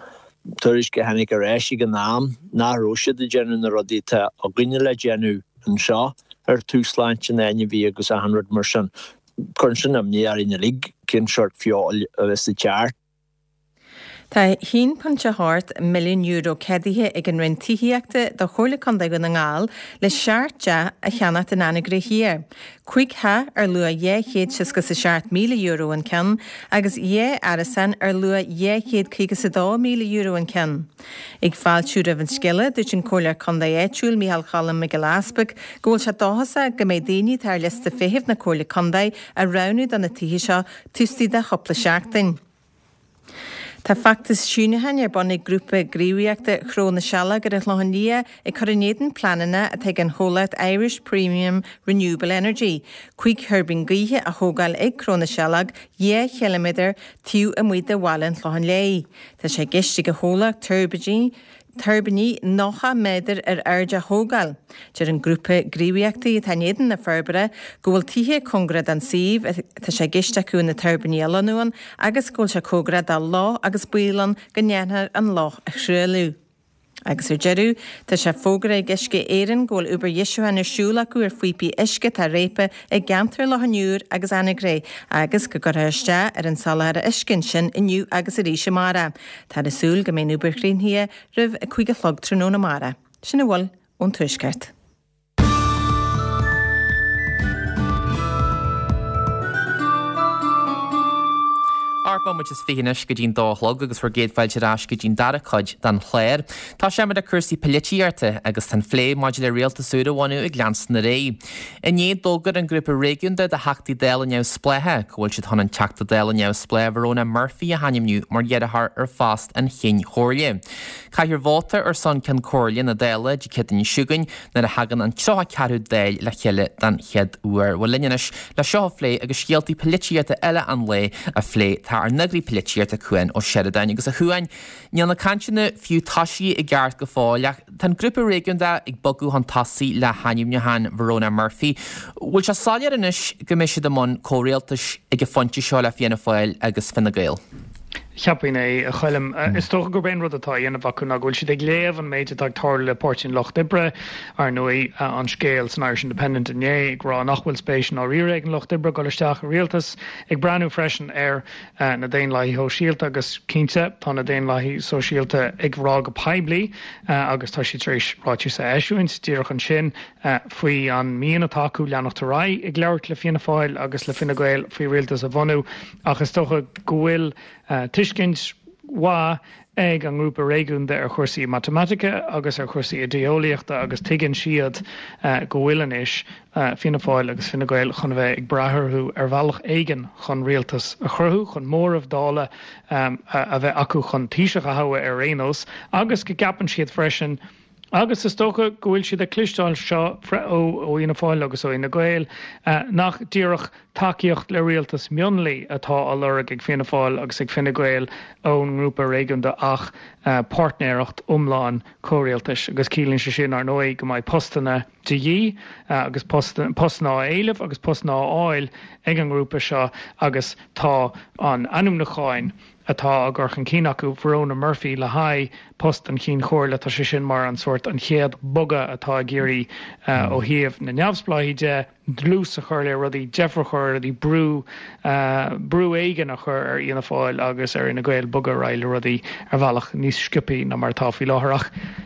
tuairisc a tháinig ar ais ag an am nach raibh siad ag déanamh na rudaí atá againne le déanamh anseo ar taobh sláinte na n-ainmhí agus achan rud mar sin. Cuireann sin imní orainn uilig cén sórt feoil a bheas ag teacht. Tá a haon ponc a hocht milliún euro ceadaithe ag an Roinn Tithíochta do Chomhairle Contae Dhún na nGall le seacht dteach a cheannacht in Anagaire Thiar. Cúig theach ar luach dhá chéad seasca is a seacht míle euro an ceann agus dhá árasán ar luach dhá chéad caoga is a dó míle euro an ceann. Ag fáiltiú roimh an scéala, dúirt an Comhairleoir Contae áitiúil Micheál Choilm Mac Giolla Easpaig go bhfuil sé dóchasach go mbeidh daoine atá ar liosta feithimh na Comhairle Contae á roghnú do na tithe seo taobh istigh de chúpla seachtain. Tá feachtas síniúcháin ar bun ag grúpa gníomhaíochta Chró na Sealg ar an Chlochán Liath ag cur in éadan pleananna atá ag an chomhlacht Irish Premium Renewable Energy cúig thuirbín gaoithe a thógáil ag Cró na Sealg dhá chiliméadar taobh amuigh de bhaile an Chlocháin Léith. Tá sé i gceist ag an chomhlacht tuirbíní tuirbíní nócha méadar ar airde a thógáil. Deir an grúpa gníomhaíochta atá in éadan na forbartha go bhfuil tithe cóngarach don suíomh atá sé i gceist acu na tuirbíní a lonnú ann agus go bhfuil sé cóngarach do loch agus baol ann go ndéanfar an loch a thruailliú. Agus ar deireadh, tá sé fógartha ag Uisce Éireann go bhfuil obair dheisiúcháin ar siúl acu ar phíopaí uisce atá réabtha i gceantar Loch an Iúir agus Anagaire agus go gcuirfear isteach ar an soláthar uisce ansin inniu agus arís amárach. Táthar ag súil go mbeidh an obair críochnaithe roimh a cúig a chlog tráthnóna amárach. Sin a bhfuil ón Tuaisceart. Ocht mbomaite is fiche anois go dtí'n dó a chlog agus bhur gcéad fáilte ar ais go dtí'n dara cuid den chlár. Tosóimid le cúrsaí polaitíochta agus tá an phlé maidir le rialtas úr a bhunú ag leanstan ar aghaidh. Inné d'fhógair an grúpa réigiúnda de Theachtaí Dála Neamhspleácha go bhfuil siad chun an Teachta Dála Neamhspleách Verona Murphy a hainmniú mar iarrthóir ar phost an Chinn Chomhairle. Caithfear vóta ar son Ceann Comhairle na Dála Dé Céadaoin seo chugainn nuair a thagann an tríocha ceathrú Dáil le chéile den chéad uair. Bhuel linn anois le seo a phlé agus scéaltaí polaitíochta eile an lae a phlé tá ár n-eagraí polaitíochta Cuan Ó Seireadáin agus a Chuain. Níl na cainteanna fiú tosaithe i gceart go fóill ach tá an grúpa réigiúnda ag bogadh chun tosaigh le hainmniúchán Verona Murphy. Bhfuil sé soiléir anois go mbeidh siad i mbun comhrialtais ag an phointe seo le Fianna Fáil agus Fine Gael? Cheapfainn é, a Choilm. Is dócha gurb é an rud atá á dhéanamh acu ná go bhfuil siad ag léamh an méid atá ag tarlú le Páirtí an Lucht Oibre, ar ndóigh an scéal san Irish Independent inné ag rá nach bhfuil spéis i ndáiríre ag an Lucht Oibre dul isteach i rialtas, ag breathnú freisin ar na Daonlathaithe Sóisialta agus cinnte tá na Daonlathaithe Sóisialta ag rá go poiblí agus tá siad tar éis ráiteas a eisiúint díreach ansin faoi an mian atá acu leanacht ar aghaidh ag labhairt le Fianna Fáil agus le Fine Gael faoi rialtas a bhunú ach is dócha go bhfuil tuiscint mhaith ag an ngrúpa réigiúnda ar chúrsaí matamaitice agus ar chúrsaí idé-eolaíochta agus tuigeann siad go bhfuil anois Fianna Fáil agus Fine Gael chun a bheith ag brath orthu ar bhealach éigin chun rialtas a chruthú, chun móramh Dála a bheith acu chun Taoiseach a thoghadh ar aon nós agus go gceapann siad freisin Agus is dócha go bhfuil siad ag cloisteáil seo ó Fhianna Fáil agus ó Fhine Gael, nach díreach tacaíocht le rialtas mionlaigh atá á lorg ag Fianna Fáil agus ag Fine Gael ón ngrúpa réigiúnda ach páirtnéireacht iomlán comhrialtais. Agus ciallaíonn sé sin, ar ndóigh, go mbeidh postanna de dhíth agus postanna á éileamh agus postanna á fháil ag an ngrúpa seo agus tá an ainmniúcháin atá á gcur chun cinn acu, Verona Murphy le haghaidh post an Chinn Chomhairle, tá sé sin mar an sórt an chéad bogadh atá ag iarraidh ó thaobh na neamhspleáchaí de, dlús a chur le rudaí, deifir a chur ar rudaí, brú, brú éigin a chur ar Fhianna Fáil agus ar Fhine Gael bogadh ar aghaidh le rudaí ar bhealach níos sciobthaí ná mar atá faoi láthair.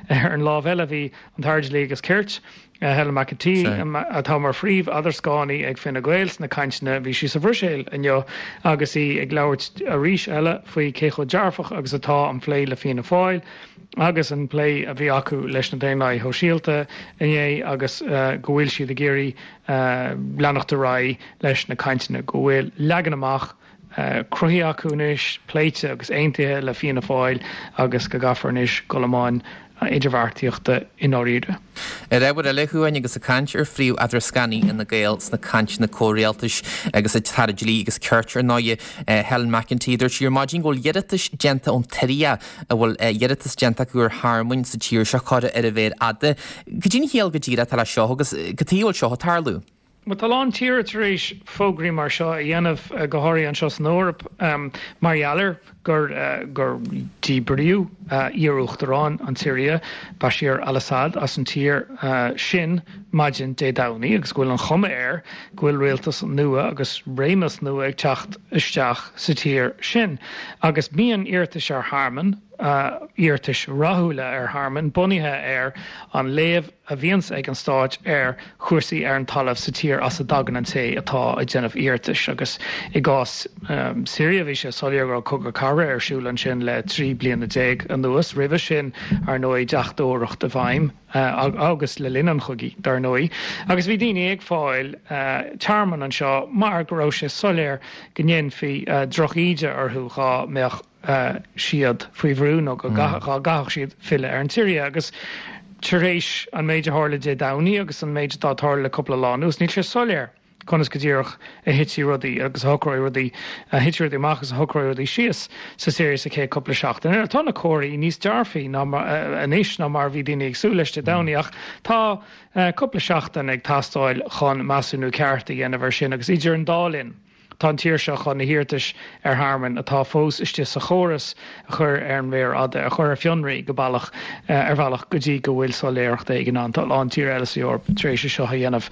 Ach ar an lámh eile bhí an tAire Dlí agus Cirt, Helen McEntee, atá mar phríomh-eadrascánaí ag Fine Gael sna cainteanna, bhí sí sa Bhruiséil inniu agus í ag labhairt arís eile faoi cé chomh dearfach agus atá an plé le Fianna Fáil agus an plé a bhí acu leis na Daonlathaithe Shóisialta inné agus go bhfuil siad ag iarraidh leanacht ar aghaidh leis na cainteanna, go bhfuil leagan amach cruthaithe acu anois, pléite agus aontaithe le Fianna Fáil agus go gcaithfear anois dul i mbun idirbheartaíochta i ndáiríre. Ar ábhar eile, a Chuain, agus ag caint ar phríomh-eadrascánaí Fhine Gael sna cainteanna comhrialtais agus an tAire Dlí agus Cirt, ar ndóigh, Helen McEntee, dúirt sí ar maidin go bhfuil iarratais déanta ón tSiria a bhfuil iarratas déanta acu ar thearmann sa tír seo curtha ar an mhéar fhada. Cad é an chiall go díreach atá leis seo agus cad chuige a bhfuil seo ag tarlú? Bhuel, tá a lán tíortha tar éis fógraí mar seo a dhéanamh, go háirithe anseo san Eoraip, mar gheall ar gur gur díbríodh iar-uachtarán an tSiria, Bashar al-Assad, as an tír sin maidin Dé Domhnaigh agus go bhfuil an chuma air go bhfuil rialtas nua agus réimeas nua ag teacht isteach sa tír sin. Agus bíonn iarratais ar thearmann, iarratais rathúla ar thearmann, bunaithe ar an léamh a bhíonns ag an stát ar chúrsaí ar an talamh sa tír as a dtagann an té atá ag déanamh iarratais. Agus i gcás Syria bhí sé soiléir go raibh cogadh cathartha ar siúl ansin le trí bliana déag anuas. Roimhe sin, ar ndóigh, deachtóireacht i bhfeidhm agus le linn an chogaidh, dar ndóigh. Agus bhí daoine ag fáil tearmann anseo mar go raibh sé soiléir go ndéanfaí drochíde orthu dhá mbeadh siad faoi bhrú nó go dá gcaithfeadh siad filleadh ar an tSiria. Agus tar éis an méid a tharla Dé Domhnaigh agus an méid atá ag tarlú le cúpla lá anuas, níl sé soiléir conas go díreach a thitfidh rudaí agus a shocróidh rudaí, a thitfidh rudaí amach agus a shocróidh rudaí síos sa Siria sa chéad cúpla seachtain eile. Tá na comharthaí níos dearfaí ná anois ná mar a bhí daoine ag súil leis Dé Domhnaigh ach tá cúpla seachtain ag teastáil chun measúnú ceart a dhéanamh air sin agus idir an dá linn, Tá an tír seo chun na hiarratais ar thearmann atá fós istigh sa chóras a chur ar an mhéar fhada, a chur ar fionraí go bealach, ar bhealach go dtí go bhfuil soiléireacht éigin ann. Tá a lán tír eile sa Eoraip tar éis é seo a dhéanamh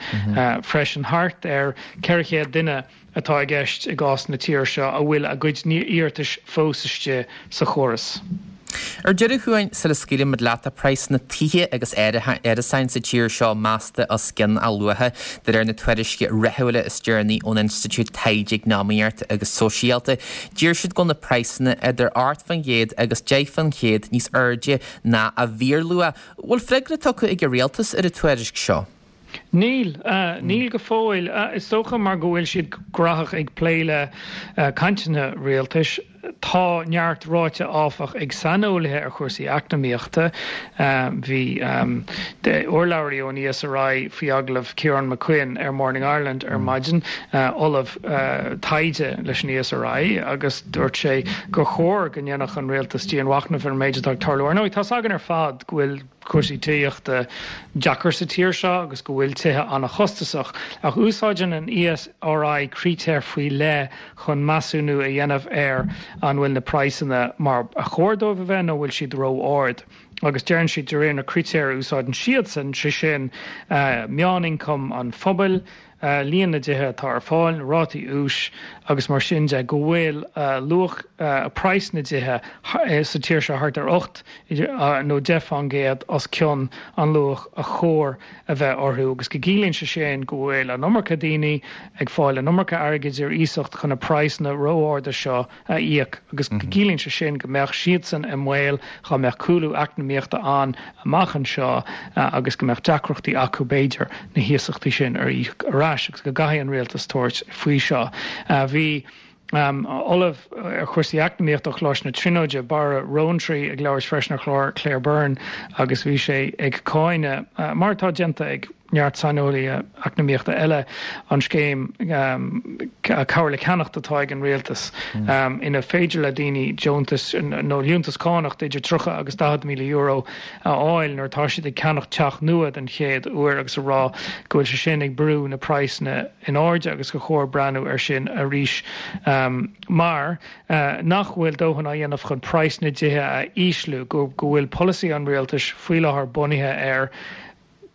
freisin. Thart ar ceithre chéad duine atá i gceist i gcás na tíre seo a bhfuil a gcuid iarratais fós istigh sa chóras. Ar deireadh, a Chuain, sula scaoilimid leat, tá praghsanna tithe agus árasáin sa tír seo measta os cionn a luacha, de réir na tuairisce ráithiúla is deireanaí ón Institiúid Taighde Eacnamaíochta agus Sóisialta. Deir siad go bhfuil na praghsanna idir ocht faoin gcéad agus deich faoin chéad níos airde ná a bhfíorluach. Bhfuil freagra tugtha ag an rialtas ar an tuairisc seo? Níl. Níl go fóill. Is dócha mar go bhfuil siad graitheach ag plé le cainteanna rialtais. Tá neart ráite áfach ag saineolaithe ar chúrsaí eacnamaíochta. Bhí urlabhraí ón ESRI faoi agallamh Ciarán McQuinn ar Morning Ireland ar maidin, ollamh taighde leis an ESRI, agus dúirt sé gur chóir go ndéanfadh an rialtas dianmhachnamh ar an méid atá ag tarlú. Ar ndóigh, tá's againn ar fad go bhfuil cúrsaí tithíochta deacair sa tír seo agus go bhfuil tithe an-chostasach, ach úsáideann an ESRI critéir faoi leith chun measúnú a dhéanamh ar an bhfuil na praghsanna mar a chóir dóibh a bheith nó bhfuil siad ró-ard. Agus deireann siad de réir na critéir a úsáideann siadsan, sé sin meánioncam an phobail, líon na dtithe atá ar fáil, na rátaí úis agus mar sin de, go bhfuil luach praghas na dtithe sa tír seo thart ar ocht nó deich fán gcéad os cionn an luach a chóir a bheith orthu agus go gciallaíonn sé sin go bhfuil an iomarca daoine ag fáil an iomarca airgid ar iasacht chun na praghsanna ró-arda seo a íoc agus go gciallaíonn sé sin go mbeadh siadsan i mbaol dá mbeadh cúlú eacnamaíochta ann amach anseo agus go mbeadh deacrachtaí acu b'fhéidir na hiasachtaí sin a íoc ar ais agus go gcaithfidh an rialtas tabhairt faoi seo. Bhí Ollamh ar chúrsaí eacnamaíochta ó Choláiste na Tríonóide, Barra Roantree, ag labhairt freisin ar chlár Claire Byrne agus bhí sé ag cáineadh, mar atá déanta ag neart saineolaithe eacnamaíochta eile, an scéim cabhair le ceannacht atá ag an rialtas ina féidir le daoine deontas nó liúntas cánach idir tríocha agus daichead míle euro a fháil nuair atá siad ag ceannacht teach nua den chéad uair agus a rá go bhfuil sé sin ag brú na praghsanna in airde agus gur chóir breathnú air sin arís mar nach bhfuil dóthain á dhéanamh chun praghas na dtithe a ísliú, go bhfuil polasaí an rialtais faoi láthair bunaithe ar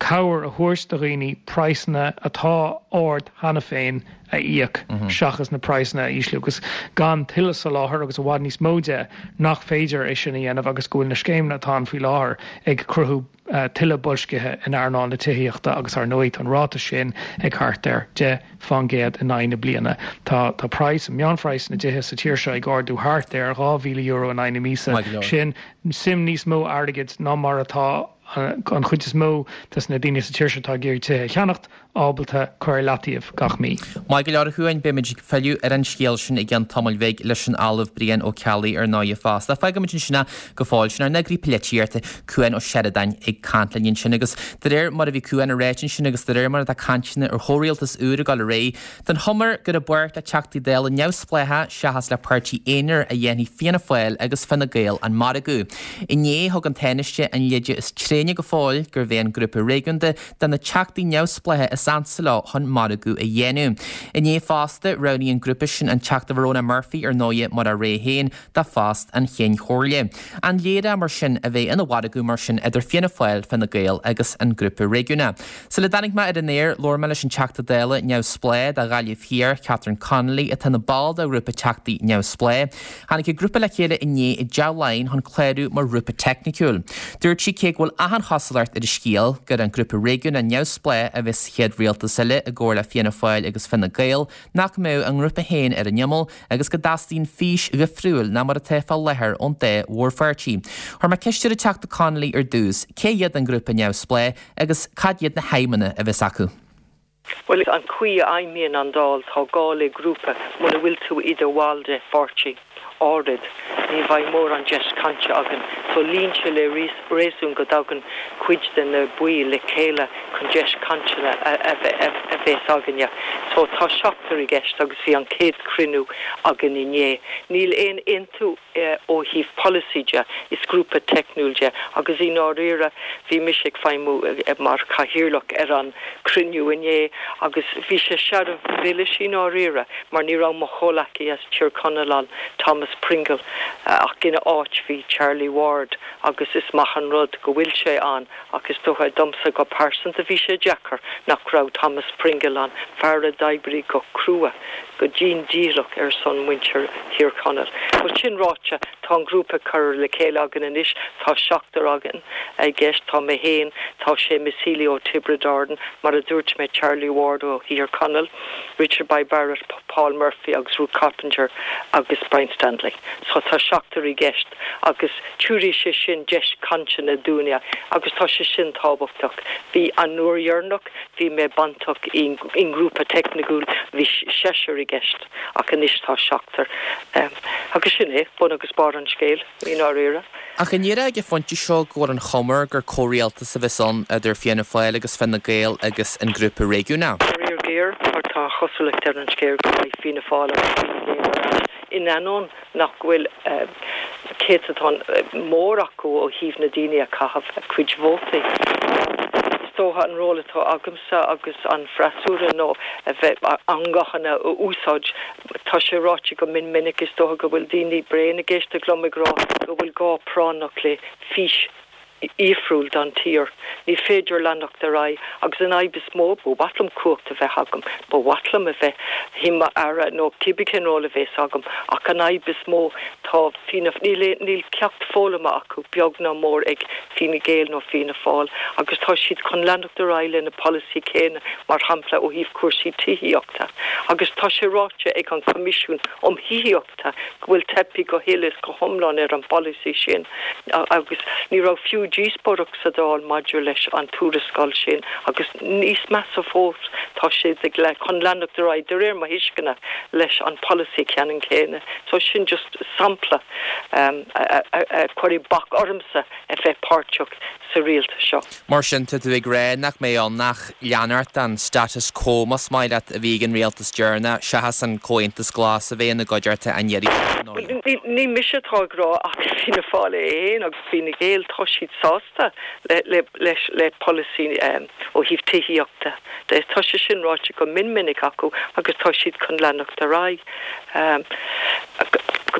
cabhair a thabhairt do dhaoine praghsanna atá ard cheana féin a íoc seachas na praghsanna a ísliú agus gan tuilleadh soláthair agus i bhfad níos mó de nach féidir é sin a dhéanamh agus go bhfuil na scéimeanna atá ann faoi láthair ag cruthú tuilleadh boilscithe in earnáil na tithíochta agus ar ndóigh tá an ráta sin ag thart ar deich fán gcéad in aghaidh na bliana. Tá tá praghas, meánphraghas na dtithe sa tír seo ag ardú thart ar dhá mhíle euro in aghaidh na míosa. Sin suim níos mó airgid ná mar atá an chuid is mó des na daoine sa tír seo atá ag iarraidh tithe a cheannacht, ábalta cur ar leataobh gach mí. Maith go leor a Chuain, beimid ag filleadh ar an scéal sin i gceann tamaill bhig leis an Ollamh Brian Ó Ceallaigh ar ndóigh fosta. Fágfaimid ansin é go fóill. Sin ár n-eagraí polaitíochta, Cuan Ó Seireadáin ag caint linn ansin agus de réir mar a bhí Cuan ag ráit ansin agus de réir mar atá cainteanna ar chomhrialtas úr ag dul ar aghaidh, tá an chuma air gur i bpáirt le Teachtaí Dála neamhspleácha seachas le páirtí aonair a dhéanfaidh Fianna Fáil agus Fine Gael an margadh. Inné thug an Tánaiste an leide is tréine tréine go fóill gurbh é an grúpa réigiúnda de na teachtaí neamhspleácha is ansa leo chun margadh a dhéanamh. Inné fosta, roghnaigh an grúpa sin an Teachta Verona Murphy ar ndóigh mar a rogha féin do phost an Chinn Chomhairle. An léir é mar sin a bheidh ina mhargadh mar sin idir Fianna Fáil, Fine Gael agus an grúpa réigiúnach. Sula dtáinig mé ar an aer, labhair mé leis an Teachta Dála neamhspleách do Ghaillimh Thiar, Catherine Connolly, atá ina ball de ghrúpa Teachtaí Neamhspleách. Tháinig an grúpa le chéile inné i dTeach Laighean chun clárú mar ghrúpa teicniciúil. Dúirt sí cé go bhfuil achan chosúlacht ar an scéal gur an grúpa réigiúnach neamhspleách a bheas sa chéad rialtas eile i gcomhar le Fianna Fáil agus Fine Gael, nach mbeadh a ngrúpa féin ar an imeall agus go dteastaíonn fís dhifriúil ná mar atá fá láthair ón dá mhórpháirtí. Chuir mé ceist ar an Teachta Connolly ar dtús, cé hiad an grúpa neamhspleách agus cad iad na haidhmeanna a bheas acu? Bhuel, an chaoi a fheidhmíonn an Dáil, tá gá le grúpa muna bhfuil tú i do bhall de pháirtí áirid, ní bheidh mórán deis cainte againn. So luíonn sé le réasún go dtagann cuid de na baill le chéile chun deis cainte a bheith againne. So tá seachtar i gceist agus bhí an chéad chruinniú againn inné. Níl aon aontú ó thaobh polasaí de, is grúpa teicniúil de agus i ndáiríre bhí mise ag feidhmiú mar chathaoirleach ar an cruinniú inné agus bhí sé searbh milis i ndáiríre mar ní raibh mo chomhleacaí as Tír Chonaill ann, Thomas Pringle, ach ina áit bhí Charlie Ward agus is maith an rud go bhfuil sé ann ach is dócha domsa go pearsanta bhí sé deacair nach raibh Thomas Pringle ann, fear a d'oibrigh go crua, go dian dícheallach ar son muintir Thír Chonaill. But sin ráite, tá an grúpa curtha le chéile againn anois, tá seachtar againn i gceist, tá mé féin, tá Seamus Healy ó Tiobraid Árann, mar a dúirt mé Charlie Ward ó Thír Chonaill, Richard Bay Barrett, Paul Murphy agus Ruth Coppinger agus Brian Stanley. So tá seachtar i gceist agus tabharfaidh sé sin deis cainte dúinne agus tá sé sin tábhachtach. Bhí an uair dheireanach, bhí mé bainteach i ngrúpa teicniúil, bhí seisear i gceist ach anois tá seachtar. Agus sin é bun agus barr an scéil i ndáiríre. Ach an ndéarfá ag an phointe seo go bhfuil an chuma air gur comhrialtas a bheas ann idir Fianna Fáil agus Fine Gael agus an grúpa réigiúnach? Faraor géar, mar tá an chosúlacht ar an scéal go mbeidh Fianna Fáil agus Fine Gael ar ais in ainneoin nach bhfuil céatadán mór acu ó thaobh na daoine a chaitheamh a cuid vótaí. Is dócha an ról atá agamsa agus an freasúra nó a bheith a nguthanna a úsáid. Tá sé ráite go mion minic, is dócha go bhfuil daoine bréan ag éisteacht liom ag rá go bhfuil gá práinneach le fís dhifriúil don tír. Ní féidir leanacht ar aghaidh agus an fhadhb is mó, ba mhaith liom cumhacht a bheith agam, ba mhaith liom a bheith i m'aire nó cibé cén ról a bheas agam ach an fhadhb is mó tá Fianna, níl, níl ceacht foghlamtha acu beag ná mór ag Fine Gael nó Fianna Fáil agus tá siad chun leanacht ar aghaidh lena polasaí céanna mar shampla ó thaobh cúrsaí tithíochta agus tá sé ráite ag an Coimisiún um Thithíochta go bhfuil teipthe go huile is go hiomlán ar an bpolasaí sin agus ní raibh fiú díospóireacht sa Dáil maidir leis an tuarascáil sin agus níos measa fós tá siad ag chun leanacht ar aghaidh de réir mo thuisceana leis an polasaí ceannann céanna. So sin just sampla a chuirfidh bac ormsa a bheith páirteach sa rialtas seo. Mar sin tá tú ag rá nach mbeidh ann ach leanacht den status quo más maith leat a bhí ag an rialtas deireanach seachas an Comhaontas Glas a bheith ina gcuideachta an iarraidh seo ar ndóigh. Ní mise atá ag rá ach Fianna Fáil é féin agus Fine Gael tá siad sásta le le polasaí ó thaobh tithíochta de. Tá sé sin ráite go mion minic acu agus tá siad chun leanacht ar aghaidh.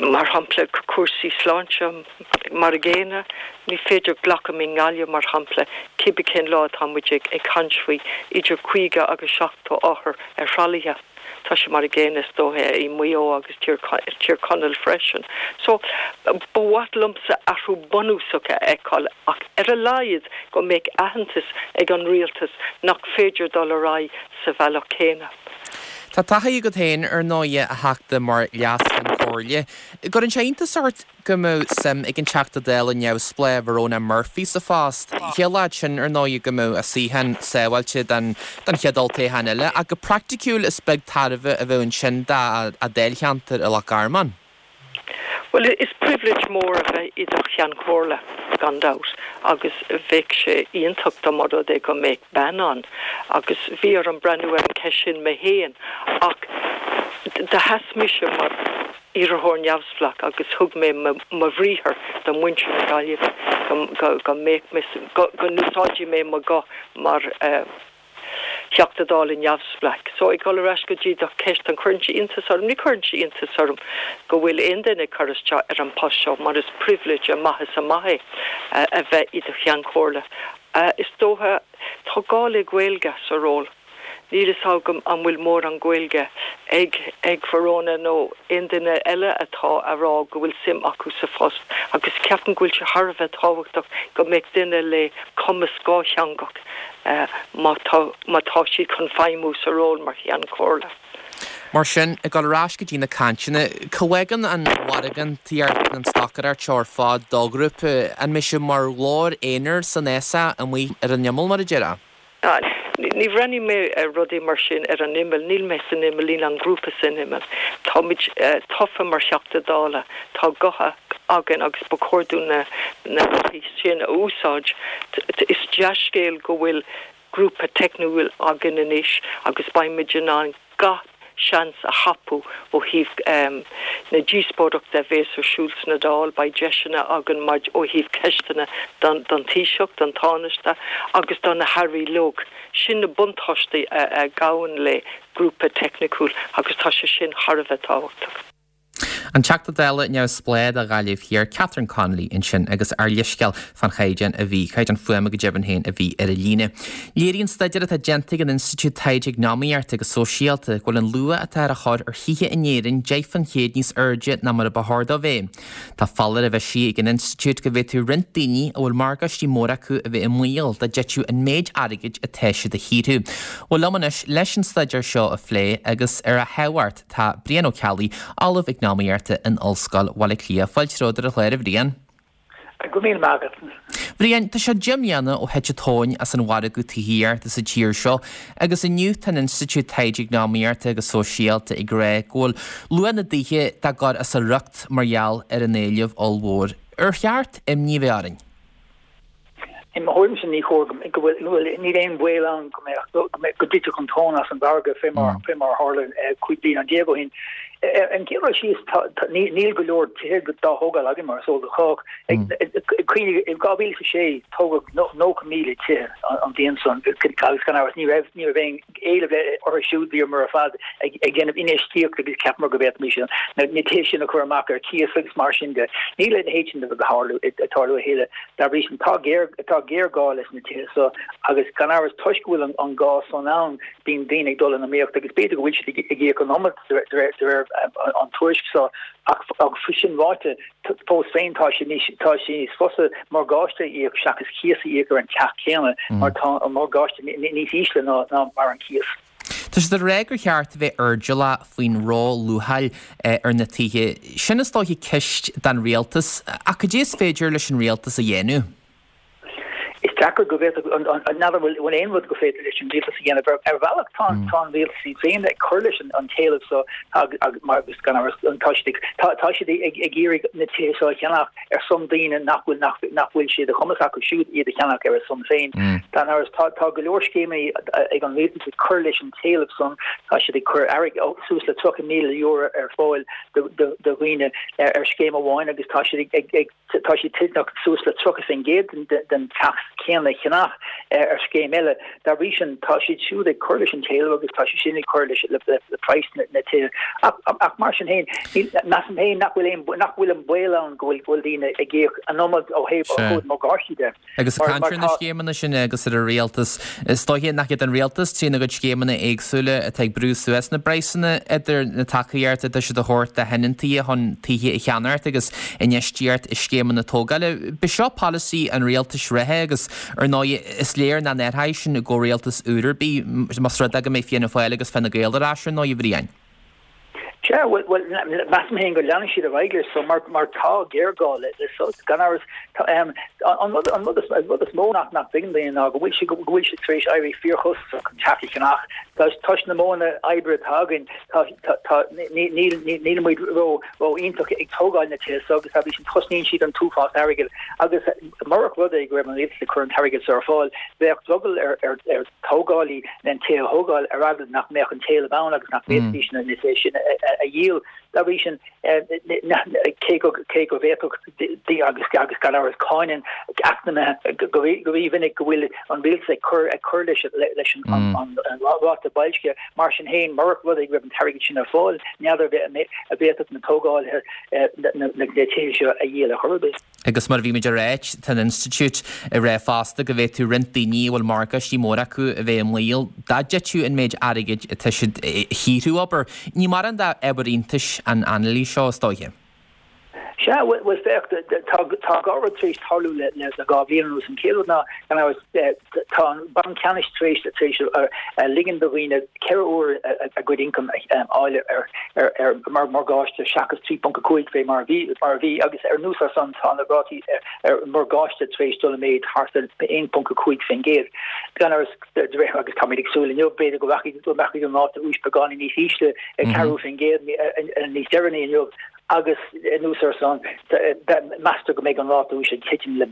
Mar shampla cúrsaí sláinte mar an gcéanna, ní féidir glacadh i nGaillimh mar shampla cibé cén lá atá muid ag caint faoi idir caoga agus seachtó othar ar thralaithe. Tá sé mar an gcéanna is dócha i Maigh Eo agus Tír Chonaill freisin. So ba mhaith liomsa athrú bunúsach a fheiceáil ach ar a laghad go mbeadh aitheantas ag an rialtas nach féidir dul ar aghaidh sa bhealach céanna. Tá taithí agat féin ar ndóigh, a Theachta, mar Leas-Cheann Comhairle. Gcuireann sé iontas ort go mbeadh suim ag an Teachta Dála neamhspleách Verona Murphy sa phost? Chiallódh sin ar ndóigh go mbeadh a suíochán sábháilte don don chéad olltoghchán eile, ach go praiticiúil is beag tairbhe a bheadh ansin dá a dáilcheantar i Loch Garman. Bhuel, is pribhléid mór a bheith i do Cheann Comhairle, gan dabht, agus bheadh sé iontach dá mba rud é go mbeadh bean ann. Agus bhí orm breathnú ar an cheist sin mé féin, ach Do sheas mise mar iarrthóir neamhspleách agus thug mé mo bhriathar do mhuintir na Gaillimhe go mbeadh mé, go n-úsáidfidh mé mo ghuth mar Theachta Dála neamhspleách. So ag dul ar ais go dtí do cheist, an cuireann sé iontas orm? Ní chuireann sé iontas orm go bhfuil aon duine ag cur isteach ar an post seo mar is pribhléid amach is amach é a bheith i do Cheann Comhairle. Is dócha, tá gá le Gaeilge sa ról. Níl fhios agam an bhfuil mórán Gaeilge ag ag Verona nó aon duine eile atá a rá go bhfuil suim acu sa phost agus ceapaim go bhfuil sé thar a bheith tábhachtach go mbeadh duine le cumas dhátheangach má tá má tá siad chun feidhmiú sa ról mar Cheann Comhairle. Mar sin, ag dul ar ais go dtí na cainteanna, cá bhfágann an mhargantaíocht, an stocaireacht seo ar fad do ghrúpa? An mbeidh sé mar ghlór aonair san fhásach amuigh ar an imeall, mar a déarfá? Ní bhreathnaím mé ar rudaí mar sin ar an imeall, níl mé san imeall, níl an grúpa san imeall. Táimid tofa mar Theachta Dála, tá guth againn agus ba chóir dúinn na na gothaí sin a úsáid. Is dea-scéal go bhfuil grúpa teicniúil againn anois agus beimid in ann gach seans a thapú ó thaobh na díospóireachta a bhéas ar siúl sna Dáil. Beidh deiseanna againn ó thaobh ceisteanna don Taoiseach, don Tánaiste agus do na hAirí uilig. Sin na buntáistí a ghabhann le grúpa teicniúil agus tá sé sin thar a bheith tábhachtach. An Teachta Dála neamhspleách do Ghaillimh Thiar, Catherine Connolly ansin agus ár leithscéal fán chaighdeán a bhí, caighdeán fuaime go deimhin féin a bhí ar an líne. Léiríonn staidéar atá déanta ag an Institiúid Taighde Eacnamaíochta agus Sóisialta go bhfuil an luach atá ar a chur ar thithe in Éirinn deich faoin chéad níos airde ná mar a ba chóir dó bheith. Tá foláireamh eisithe ag an Institiúid go bhféadfadh roinnt daoine a bhfuil morgáistí móra acu a bheith i mbaol dá dtitfeadh an méid airgid atá siad a shaothrú. Bhuel liom anois leis an staidéar seo a phlé agus ar a thábhacht tá Brian Ó Ceallaigh, Ollamh Eacnamaíochta in Ollscoil Bhaile Átha Cliath. Fáilte romhat ar an chlár, a Bhriain. Go raibh míle maith agat. Bhriain, tá sé deich mbliana ó thit an tóin as an mhargadh tithíochta sa tír seo agus inniu tá an Institiúid Taighde Eacnamaíochta agus Sóisialta ag rá go bhfuil luach na dtithe dá gcur as a riocht mar gheall ar an éileamh ollmhór. Ar cheart imní a bheith orainn? I mo thuairimse ní chóir go bhfuil, níl aon bhaol ann go mbeadh, go dtitfeadh an tóin as an mhargadh fé mar, fé mar a tharla cúig bliana déag ó shin. Ar an gcéad dul síos, tá, níl go leor tithe dá thógáil againn mar is eol do chách. Cuimhnigh, i dhá mhíle is a sé tógadh nócha míle tithe an bhliain san agus gan amhras ní raibh, ní raibh aon éileamh orthu siúd, bhíomar ar fad ag déanamh infheistíocht agus cheapamar go bhféadfaimis na tithe sin a chur amach ar cíos agus mar sin de. Níl a leithéid sin de rud ag tarlú a thuilleadh. Dá bhrí sin, tá géar, tá géarghá leis na tithe so agus gan amhras toisc go bhfuil an gá san ann, bíonn daoine ag dul in iomaíocht agus b'fhéidir go bhfuil siad ag íoc an iomad de réir de réir an tuairisc so ach ach sin ráite, fós féin tá sé níos tá sé níos fusa morgáiste a íoc seachas cíos a íoc ar an teach céanna mar tá an morgáiste níos ísle ná ná mar an cíos. Tá siad ag rá gur cheart a bheith airdeallach faoin ró-luacháil ar na tithe. Sin is dóiche ceist don rialtas, ach cad é is féidir leis an rialtas a dhéanamh? Is deacair go bhféadfadh, n'fheadar an bhfuil aon rud go féidir leis an rialtas a dhéanamh. Ar bhealach tá an rialtas iad féin ag cur leis an t-éileamh so agus gan amhras tá siad tá siad ag iarraidh na tithe seo a cheannach ar son daoine nach bhfuil nach bhfuil sé de chumas acu siúd iad a cheannach ar a son féin. Gan amhras tá tá go leor scéimeanna ag an rialtas ag cur leis an t-éileamh san, tá siad ag cur airgead suas le tríocha míle euro ar fáil do dhaoine ar scéim amháin agus tá siad ag tá siad toilteanach suas le tríocha faoin gcéad den teach céanna a cheannach ar scéim eile. Dá bhrí sin, tá siad siúd ag cur leis an t-éileamh agus tá siad sin ag cur leis le praghas na tithe. Ach mar sin féin, measaim féin nach bhfuil aon, nach bhfuil an baol ann go bhfuil daoine ag íoc an iomad ó thaobh ó thaobh morgáistí de. Agus ag caint ar na scéimeanna sin agus ar an rialtas, is dóiche nach iad an rialtas trína gcuid scéimeanna éagsúla atá ag brú suas na bpraghsanna idir na tacaíocht atá siad a thabhairt do thionóntaí chun tithe a cheannacht agus infheistíocht i scéimeanna tógála. B'seo polasaí an rialtais reatha agus ar ndóigh is léir nach n-athróidh sin i gcomhrialtas úr ar bith más rud é go mbeidh Fianna Fáil agus Fine Gael ar ais ar ndóigh, a Bhriain. Sea, bhuel, measaim féin go leanfaidh siad ar aghaidh leis so mar mar tá géarghá le le sos. Gan amhras, tá an rud an rud is an rud is mó nach nach dtuigeann daoine ná go bhfuil sé go bhfuil sé tar éis éirí fíorchostasach an teach a cheannach. Toisc na modhanna oibre atá againn, tá tá tá ní níl níl muid ró ró iontach ag tógáil na tithe so agus dá bhrí sin cosnaíonn siad an t-uafás airgid agus murach rud é go raibh an rialtas ag cur an t-airgead so ar fáil, bheadh drogall ar ar ar tógálaí na tithe a thógáil ar eagla nach mbeadh an t-éileamh ann agus nach bhféadfaidís na tithe sin a dhíol. Dá bhrí sin, cé go cé go bhféadfadh agus agus gan amhras cáineann eacnamaithe go rímhinic go bhfuil an rialtas ag cur ag cur leis leis an an ráta boilscithe, mar sin féin, murach rud é go raibh an t-airgead sin ar fáil, n'fheadar an bhféadfadh na tógálaithe na tithe seo a dhíol ar chor ar bith. Agus mar a bhí muid ag ráit, tá an institiúid ag rá fosta go bhféadfadh roinnt daoine a bhfuil morgáistí móra acu a bheith i mbaol dá dtitfeadh an méid airgid atá siad a shaothrú, abair. Ní mórán d'ábhar iontais an anailís seo, is dóiche. Sea, bhuel féach, tá dhá rud tar éis tarlú le dhá bhliain anuas. An chéad rud ná, gan amhras, tá an Banc Ceannais tar éis tar éis ligean do dhaoine ceithre huair a gcuid ioncaim a fháil ar ar mar morgáiste seachas trí ponc a cúig fé mar a bhí mar a bhí agus anuas air san tá na rátaí ar morgáiste tar éis dul i méid thart ar aon ponc a cúig faoin gcéad. Gan amhras agus táimid ag súil inniu b'fhéidir go rachaidh go mbeidh an ráta úis beagáinín níos ísle ag ceathrú faoin gcéad níos deireanaí inniu agus anuas air san meastar go mbeidh an ráta úis ag titim le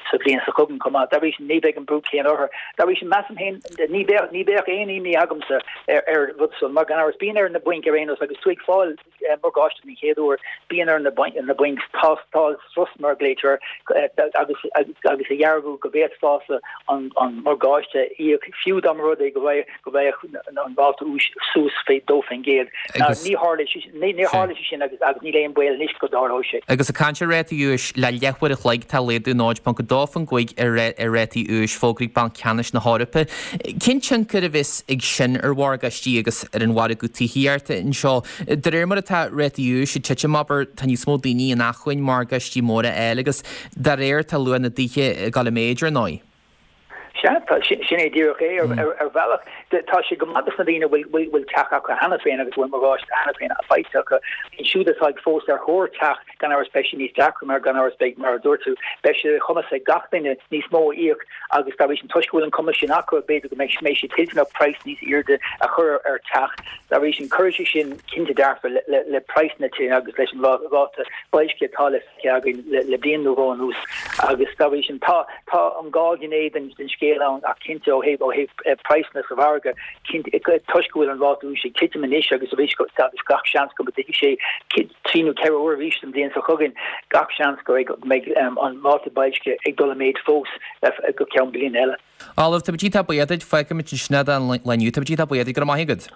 sa bhliain seo chugainn chomh maith. Dá bhrí sin ní bheidh an brú céanna orthu. Dá bhrí sin measaim féin ní bheadh ní bheadh aon imní agamsa ar ar rud san mar gan amhras bíonn ar na bainc ar aon nós agus tú ag fáil morgáiste den chéad uair bíonn ar na na bainc tástáil strus mar a ghlaoitear agus agus a dhearbhú go bhféadfása an an morgáiste a íoc fiú dá mba rud é go mbeadh go mbeadh an ráta úis suas fé dó faoin gcéad. Ní tharla ní tharla sé sin agus agus níl aon baol anois go dtarlóidh sé. Agus ag caint ar rátaí úis, le leathuair a chloig tá laghdú náid ponc a dó faoin gcúig ar ar rátaí úis fógraithe ag Banc Ceannais na hEorpa. Cén tionchar a bheas ag sin ar mhorgáistí agus ar an mhargadh tithíochta anseo? De réir mar atá rátaí úis ag titim, abair, tá níos mó daoine in acmhainn morgáistí móra a fháil agus dá réir tá luach na dtithe ag dul i méid, ar ndóigh. Sea, sin é díreach é. Ar bhealach, tá sé go maith dos na daoine a bhfuil teach acu cheana féin agus a bhfuil morgáiste cheana féin faighte acu. Iad siúd atá ag fós ar thóir teach, gan amhras beidh sé níos deacra mar gan amhras beidh, mar a dúirt tú, beidh sé de chumas ag gach duine níos mó a íoc agus dá bhrí sin, toisc go bhfuil an cumas sin acu, b'fhéidir go mbeidh siad toilteanach praghas níos airde a chur ar teach. Dá bhrí sin, cuirfidh sé sin cinnte dearfa le praghas na tithe agus leis an ráta boilscithe atá le feiceáil againn le bliain nó dhó anuas agus dá bhrí sin, tá tá an dhá ghné den scéal ann ach cinnte ó thaobh ó thaobh praghsanna sa mhargadh, cinnte toisc go bhfuil an ráta úis ag titim anois agus arís agus gach seans go dtitfidh sé trí nó ceithre huair arís an bhliain seo chugainn, gach seans go mbeidh an ráta boilscithe ag dul i méid fós go ceann bliana eile. Ollamh, tá muid iontach buíoch duit, fágfaimid ansin é don lá inniu, tá muid iontach buíoch duit, go raibh maith agat.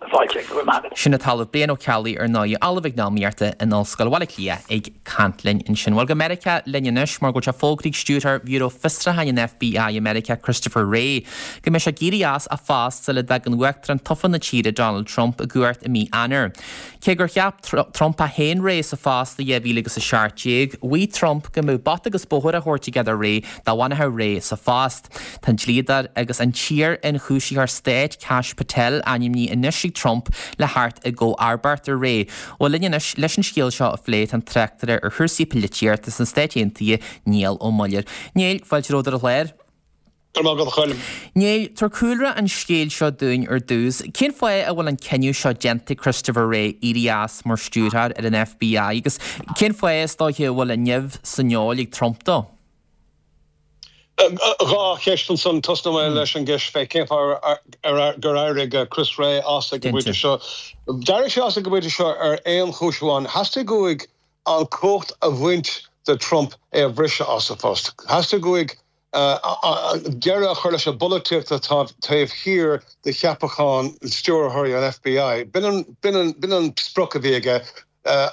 Fáilte, go raibh maith agat. Sin an tOllamh Brian Ó Ceallaigh ar ndóigh, Ollamh Eacnamaíochta in Ollscoil Bhaile Átha Cliath ag caint linn ansin. Bhuel, go Meiriceá linn anois mar go bhfuil sé fógraithe ag Stiúrthóir Bhiúró Fiosrúcháin an FBI i Meiriceá, Christopher Wray, go mbeidh sé ag éirí as a phost sula dtagann Uachtarán tofa na tíre Donald Trump i gcumhacht i mí Eanáir. Cé gur cheap Trump é féin Wray sa phost i dhá mhíle agus a seacht déag, mhaígh Trump go mbeadh bata agus bóthar á thabhairt aige do Wray dá bhfanfadh Wray sa phost. Tá an dlíodóir agus an t-iar-ionchúisitheoir stáit Kash Patel ainmnithe anois ag Trump le theacht i gcomharbacht ar Wray. Bhuel, linn anois leis an scéal seo a phlé tá an tráchtaire ar chúrsaí polaitíochta sna Stáit Aontaithe, Niall Ó Muilleoir. Niall, fáilte romhat ar an chlár. Go raibh maith agat, a Choilm. Niall, tabhair cúlra an scéil seo dúinn ar dtús. Cén fáth a bhfuil an cinneadh seo déanta ag Christopher Wray éirí as mar stiúrthóir ar an FBI agus cén fáth, is dóiche, a bhfuil an nimh san fheoil ag Trump dó? Dhá cheist ansan. Tosnóidh mé leis an gceist fé cén fáth gur éirigh Chris Wray as ag an bpointe seo. D'éirigh sé as ag an bpointe seo ar aon chúis amháin. Theastaigh uaidh an chumhacht a bhaint de Trump é a bhriseadh as a phost. Theastaigh uaidh deireadh a chur leis an bpolaitíocht atá taobh thiar de cheapachán stiúrthóirí an FBI. B'in an sprioc a bhí aige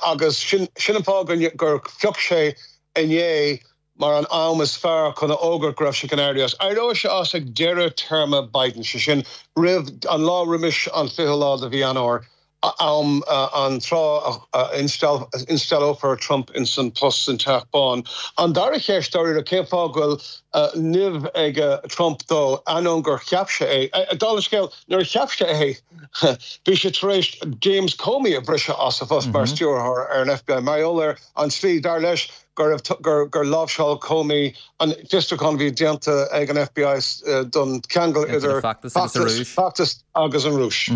agus sin an fáth gur phioc sé inné mar an am is fearr chun a fhógairt go raibh sé chun éirí as. Éireoidh sé as ag deireadh téarma Biden, sé sin roimh an lá roimis an fiche lá de mhí Eanáir. am an tráth a insteallófar Trump ins an post san Teach Bán. An dara cheist dáiríre cén fáth go bhfuil nimh ag Trump dó ainneoin gur cheap sé é. Dála an scéil, nuair a cheap sé é bhí sé tar éis James Comey a bhriseadh as a phost mar stiúrthóir ar an FBI mar gheall ar an tslí, dar leis, gur gur láimhseáil Comey an fiosrúchán a bhí déanta ag an FBI don cheangal idir feachtas agus an Rúis.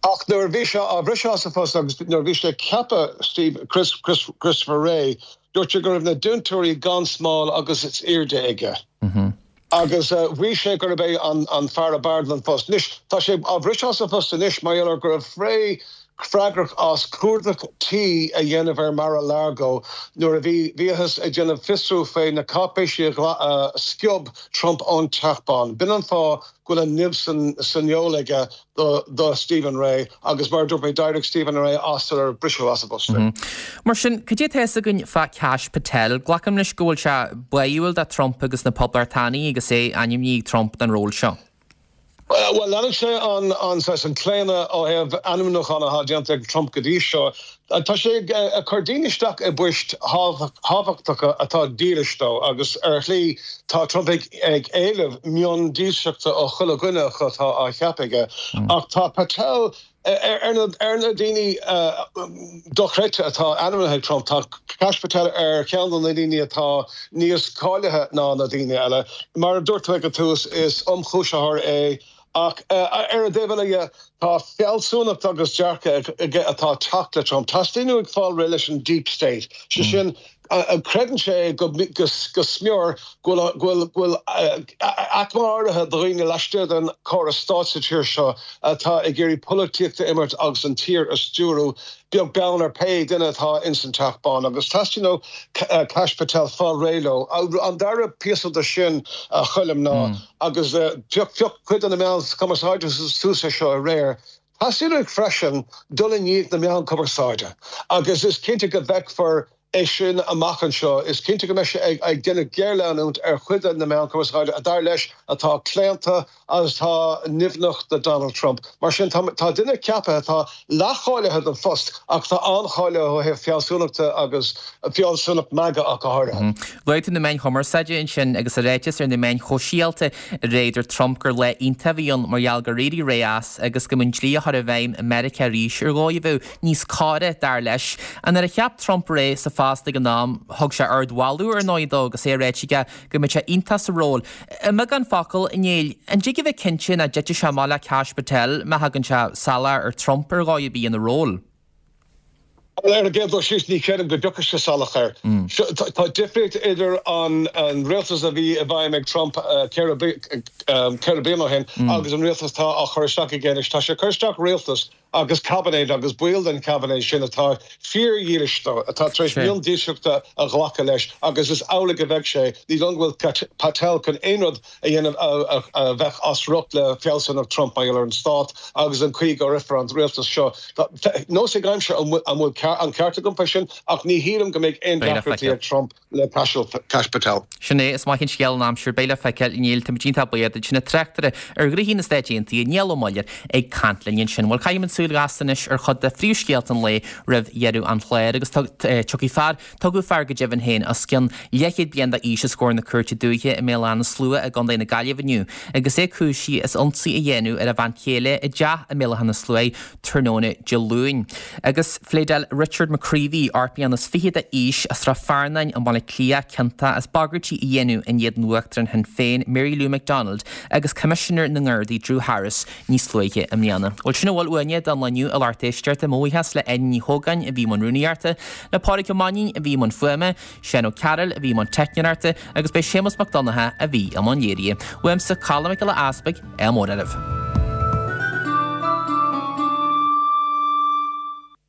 Ach nuair a bhí sé á bhriseadh as a phost agus nuair a bhí sé ag ceapadh Steve Chris Chris Christopher Wray, dúirt sé go raibh na dintiúirí gan smál agus is airde aige. Agus bhí sé gurb é an fear ab fhearr don phost. Anois, tá sé á bhriseadh as a phost anois mar gheall ar go raibh Wray freagrach as cuardach tí a dhéanamh ar Mar-a-Lago nuair a bhí bhíothas ag déanamh fiosrú fé na cáipéisí a sciob Trump ón Teach Bán. B'in an fáth go bhfuil an nimh san fheoil aige do do Stephen Wray agus mar a dúirt mé d'éirigh Stephen Wray as sular briseadh as a phost é. Mar sin, cad é tá fhios againn fá Kash Patel? Glacaim leis go bhfuil sé báúil do Trump agus na Poblachtánaigh agus é ainmnithe ag Trump don ról seo. Bhuel, leanann sé an an saghas an claonadh ó thaobh ainmniúchán atá déanta ag Trump go dtí seo. Tá sé ag cur daoine isteach i bpoist thábhachtacha atá dílis dó agus ar shlí tá Trump ag ag éileamh miondílseachta ó chuile dhuine acu atá á cheapadh aige. Ach tá Patel Ar na daoine dochreidte atá ainmnithe ag Trump, tá Kash Patel ar cheann de na daoine atá níos cáilithe ná na daoine eile. Mar a dúirt tú ag an tús, is ionchúisitheoir é ach ar an dtaobh eile dhe, tá fealsúnacht agus dearcadh aige atá ag teacht le Trump. Teastaíonn uaidh fáil réidh leis an deep state, sé sin, Creideann sé go smior go bhfuil aicme áirithe de dhaoine laistigh den chóras stáit sa tír seo atá ag iarraidh polaitíocht a imirt agus an tír a stiúradh, beag beann ar pé duine atá ins an Teach Bán. Agus teastaíonn ó Kash Patel fáil réidh leo. An dara píosa de sin, a Choilm, ná, agus phioc cuid de na meáin chumarsáide suas é seo aréir, teastaíonn uaidh freisin dul i ndiaidh na meán cumarsáide agus is cinnte go bhfeicfear é sin amach anseo. Is cinnte go mbeidh sé ag déanamh géarleanúint ar chuid de na meáin chumarsáide a dar leis atá claonta agus atá nimhneach do Donald Trump. Mar sin, tá duine ceaptha atá leathcháilithe don phost ach atá an-cháilithe ó thaobh fealsúnachta agus fealsúnacht MAGA ach go háirithe. Luaigh tú na meáin chumarsáide ansin agus i ráiteas ar na meáin shóisialta aréir dúirt Trump gur lá iontach a bhí ann mar gheall gur éirigh Wray as agus go mbeadh an dlí a chur i bhfeidhm i Meiriceá arís ar dhóigh a bheadh níos córa, dar leis. Ach nuair a cheap Trump Wray sa phost ag an am, thug sé ardmholadh ar ndóigh dó agus é ráite aige go mbeadh sé iontach sa ról. I mbeagán focal, a Néill, an dtig a bheith cinnte nach dtitfidh sé amach le Kash Patel má thagann sé salach ar Trump ar dhóigh ar bith ina ról? Ar an gcéad dul síos, ní chreidim go dtiocfaidh sé salach air. Tá difríocht idir an rialtas a bhí i bhfeidhm ag Trump ceithre bliana ó shin agus an rialtas atá á chur isteach aige anois. Tá sé ag cur isteach rialtas agus caibinéad agus baill den chaibinéad sin atá fíordhílis dó, atá tar éis miondílseachta a ghlacadh leis agus is amhlaidh a bheidh sé. Ní dóigh liom go bhfuil Patel chun aon rud a dhéanamh a bheadh as riocht le fealsúnacht Trump mar gheall ar an stát agus an chaoi go rithfear an rialtas seo. Nós ag aimsir an bhfuil an ceart agam fé sin ach ní shílim go mbeidh aon deacrachtaí ag Trump le Kash Patel. Sin é, is maith an scéal an aimsir, beidh le feiceáil, a Néill, táimid iontach buíoch duit, sin an tráchtaire ar ghnóthaí na Stáit Aontaithe, Niall Ó Muilleoir, ag caint linn ansin. Bhuel, caithfimid súil ghasta anois ar chuid de phríomhscéalta an lae roimh dheireadh an chláir agus tiocfaidh fear, tugadh fear go deimhin féin, os cionn leathchéad bliain d'aois os comhair na Cúirte Dúiche i mBéal Átha na Slua i gContae na Gaillimhe inniu agus é cúisithe as ionsaí a dhéanamh ar a bhean chéile i dteach i mBéal Átha na Sluaighe tráthnóna Dé Luain. Agus phléadáil Richard McCreevy, ocht mbliana is fiche d'aois, as Srath Fearnáin i mBaile Átha Cliath, ciontach as bagairtí a dhéanamh in éadan Uachtarán Shinn Féin, Mary Lou McDonald, agus Coimisinéir na nGardaí Drew Harris níos luaithe i mbliana. Bhuel, sin a bhfuil uainne don lá inniu, a lucht éisteachta. Mo bhuíochas le Áine Ní Chógáin a bhí i mbun rúnaíochta, le Pádraig Ó Mainnín a bhí i mbun fuaime, Seán Ó Cearúil a bhí i mbun teicneoireachta agus b'é Séamus Mac Donncha a bhí i mbun léirithe. Uaimse, Colm Mac Giolla Easpaig, ádh mór oraibh.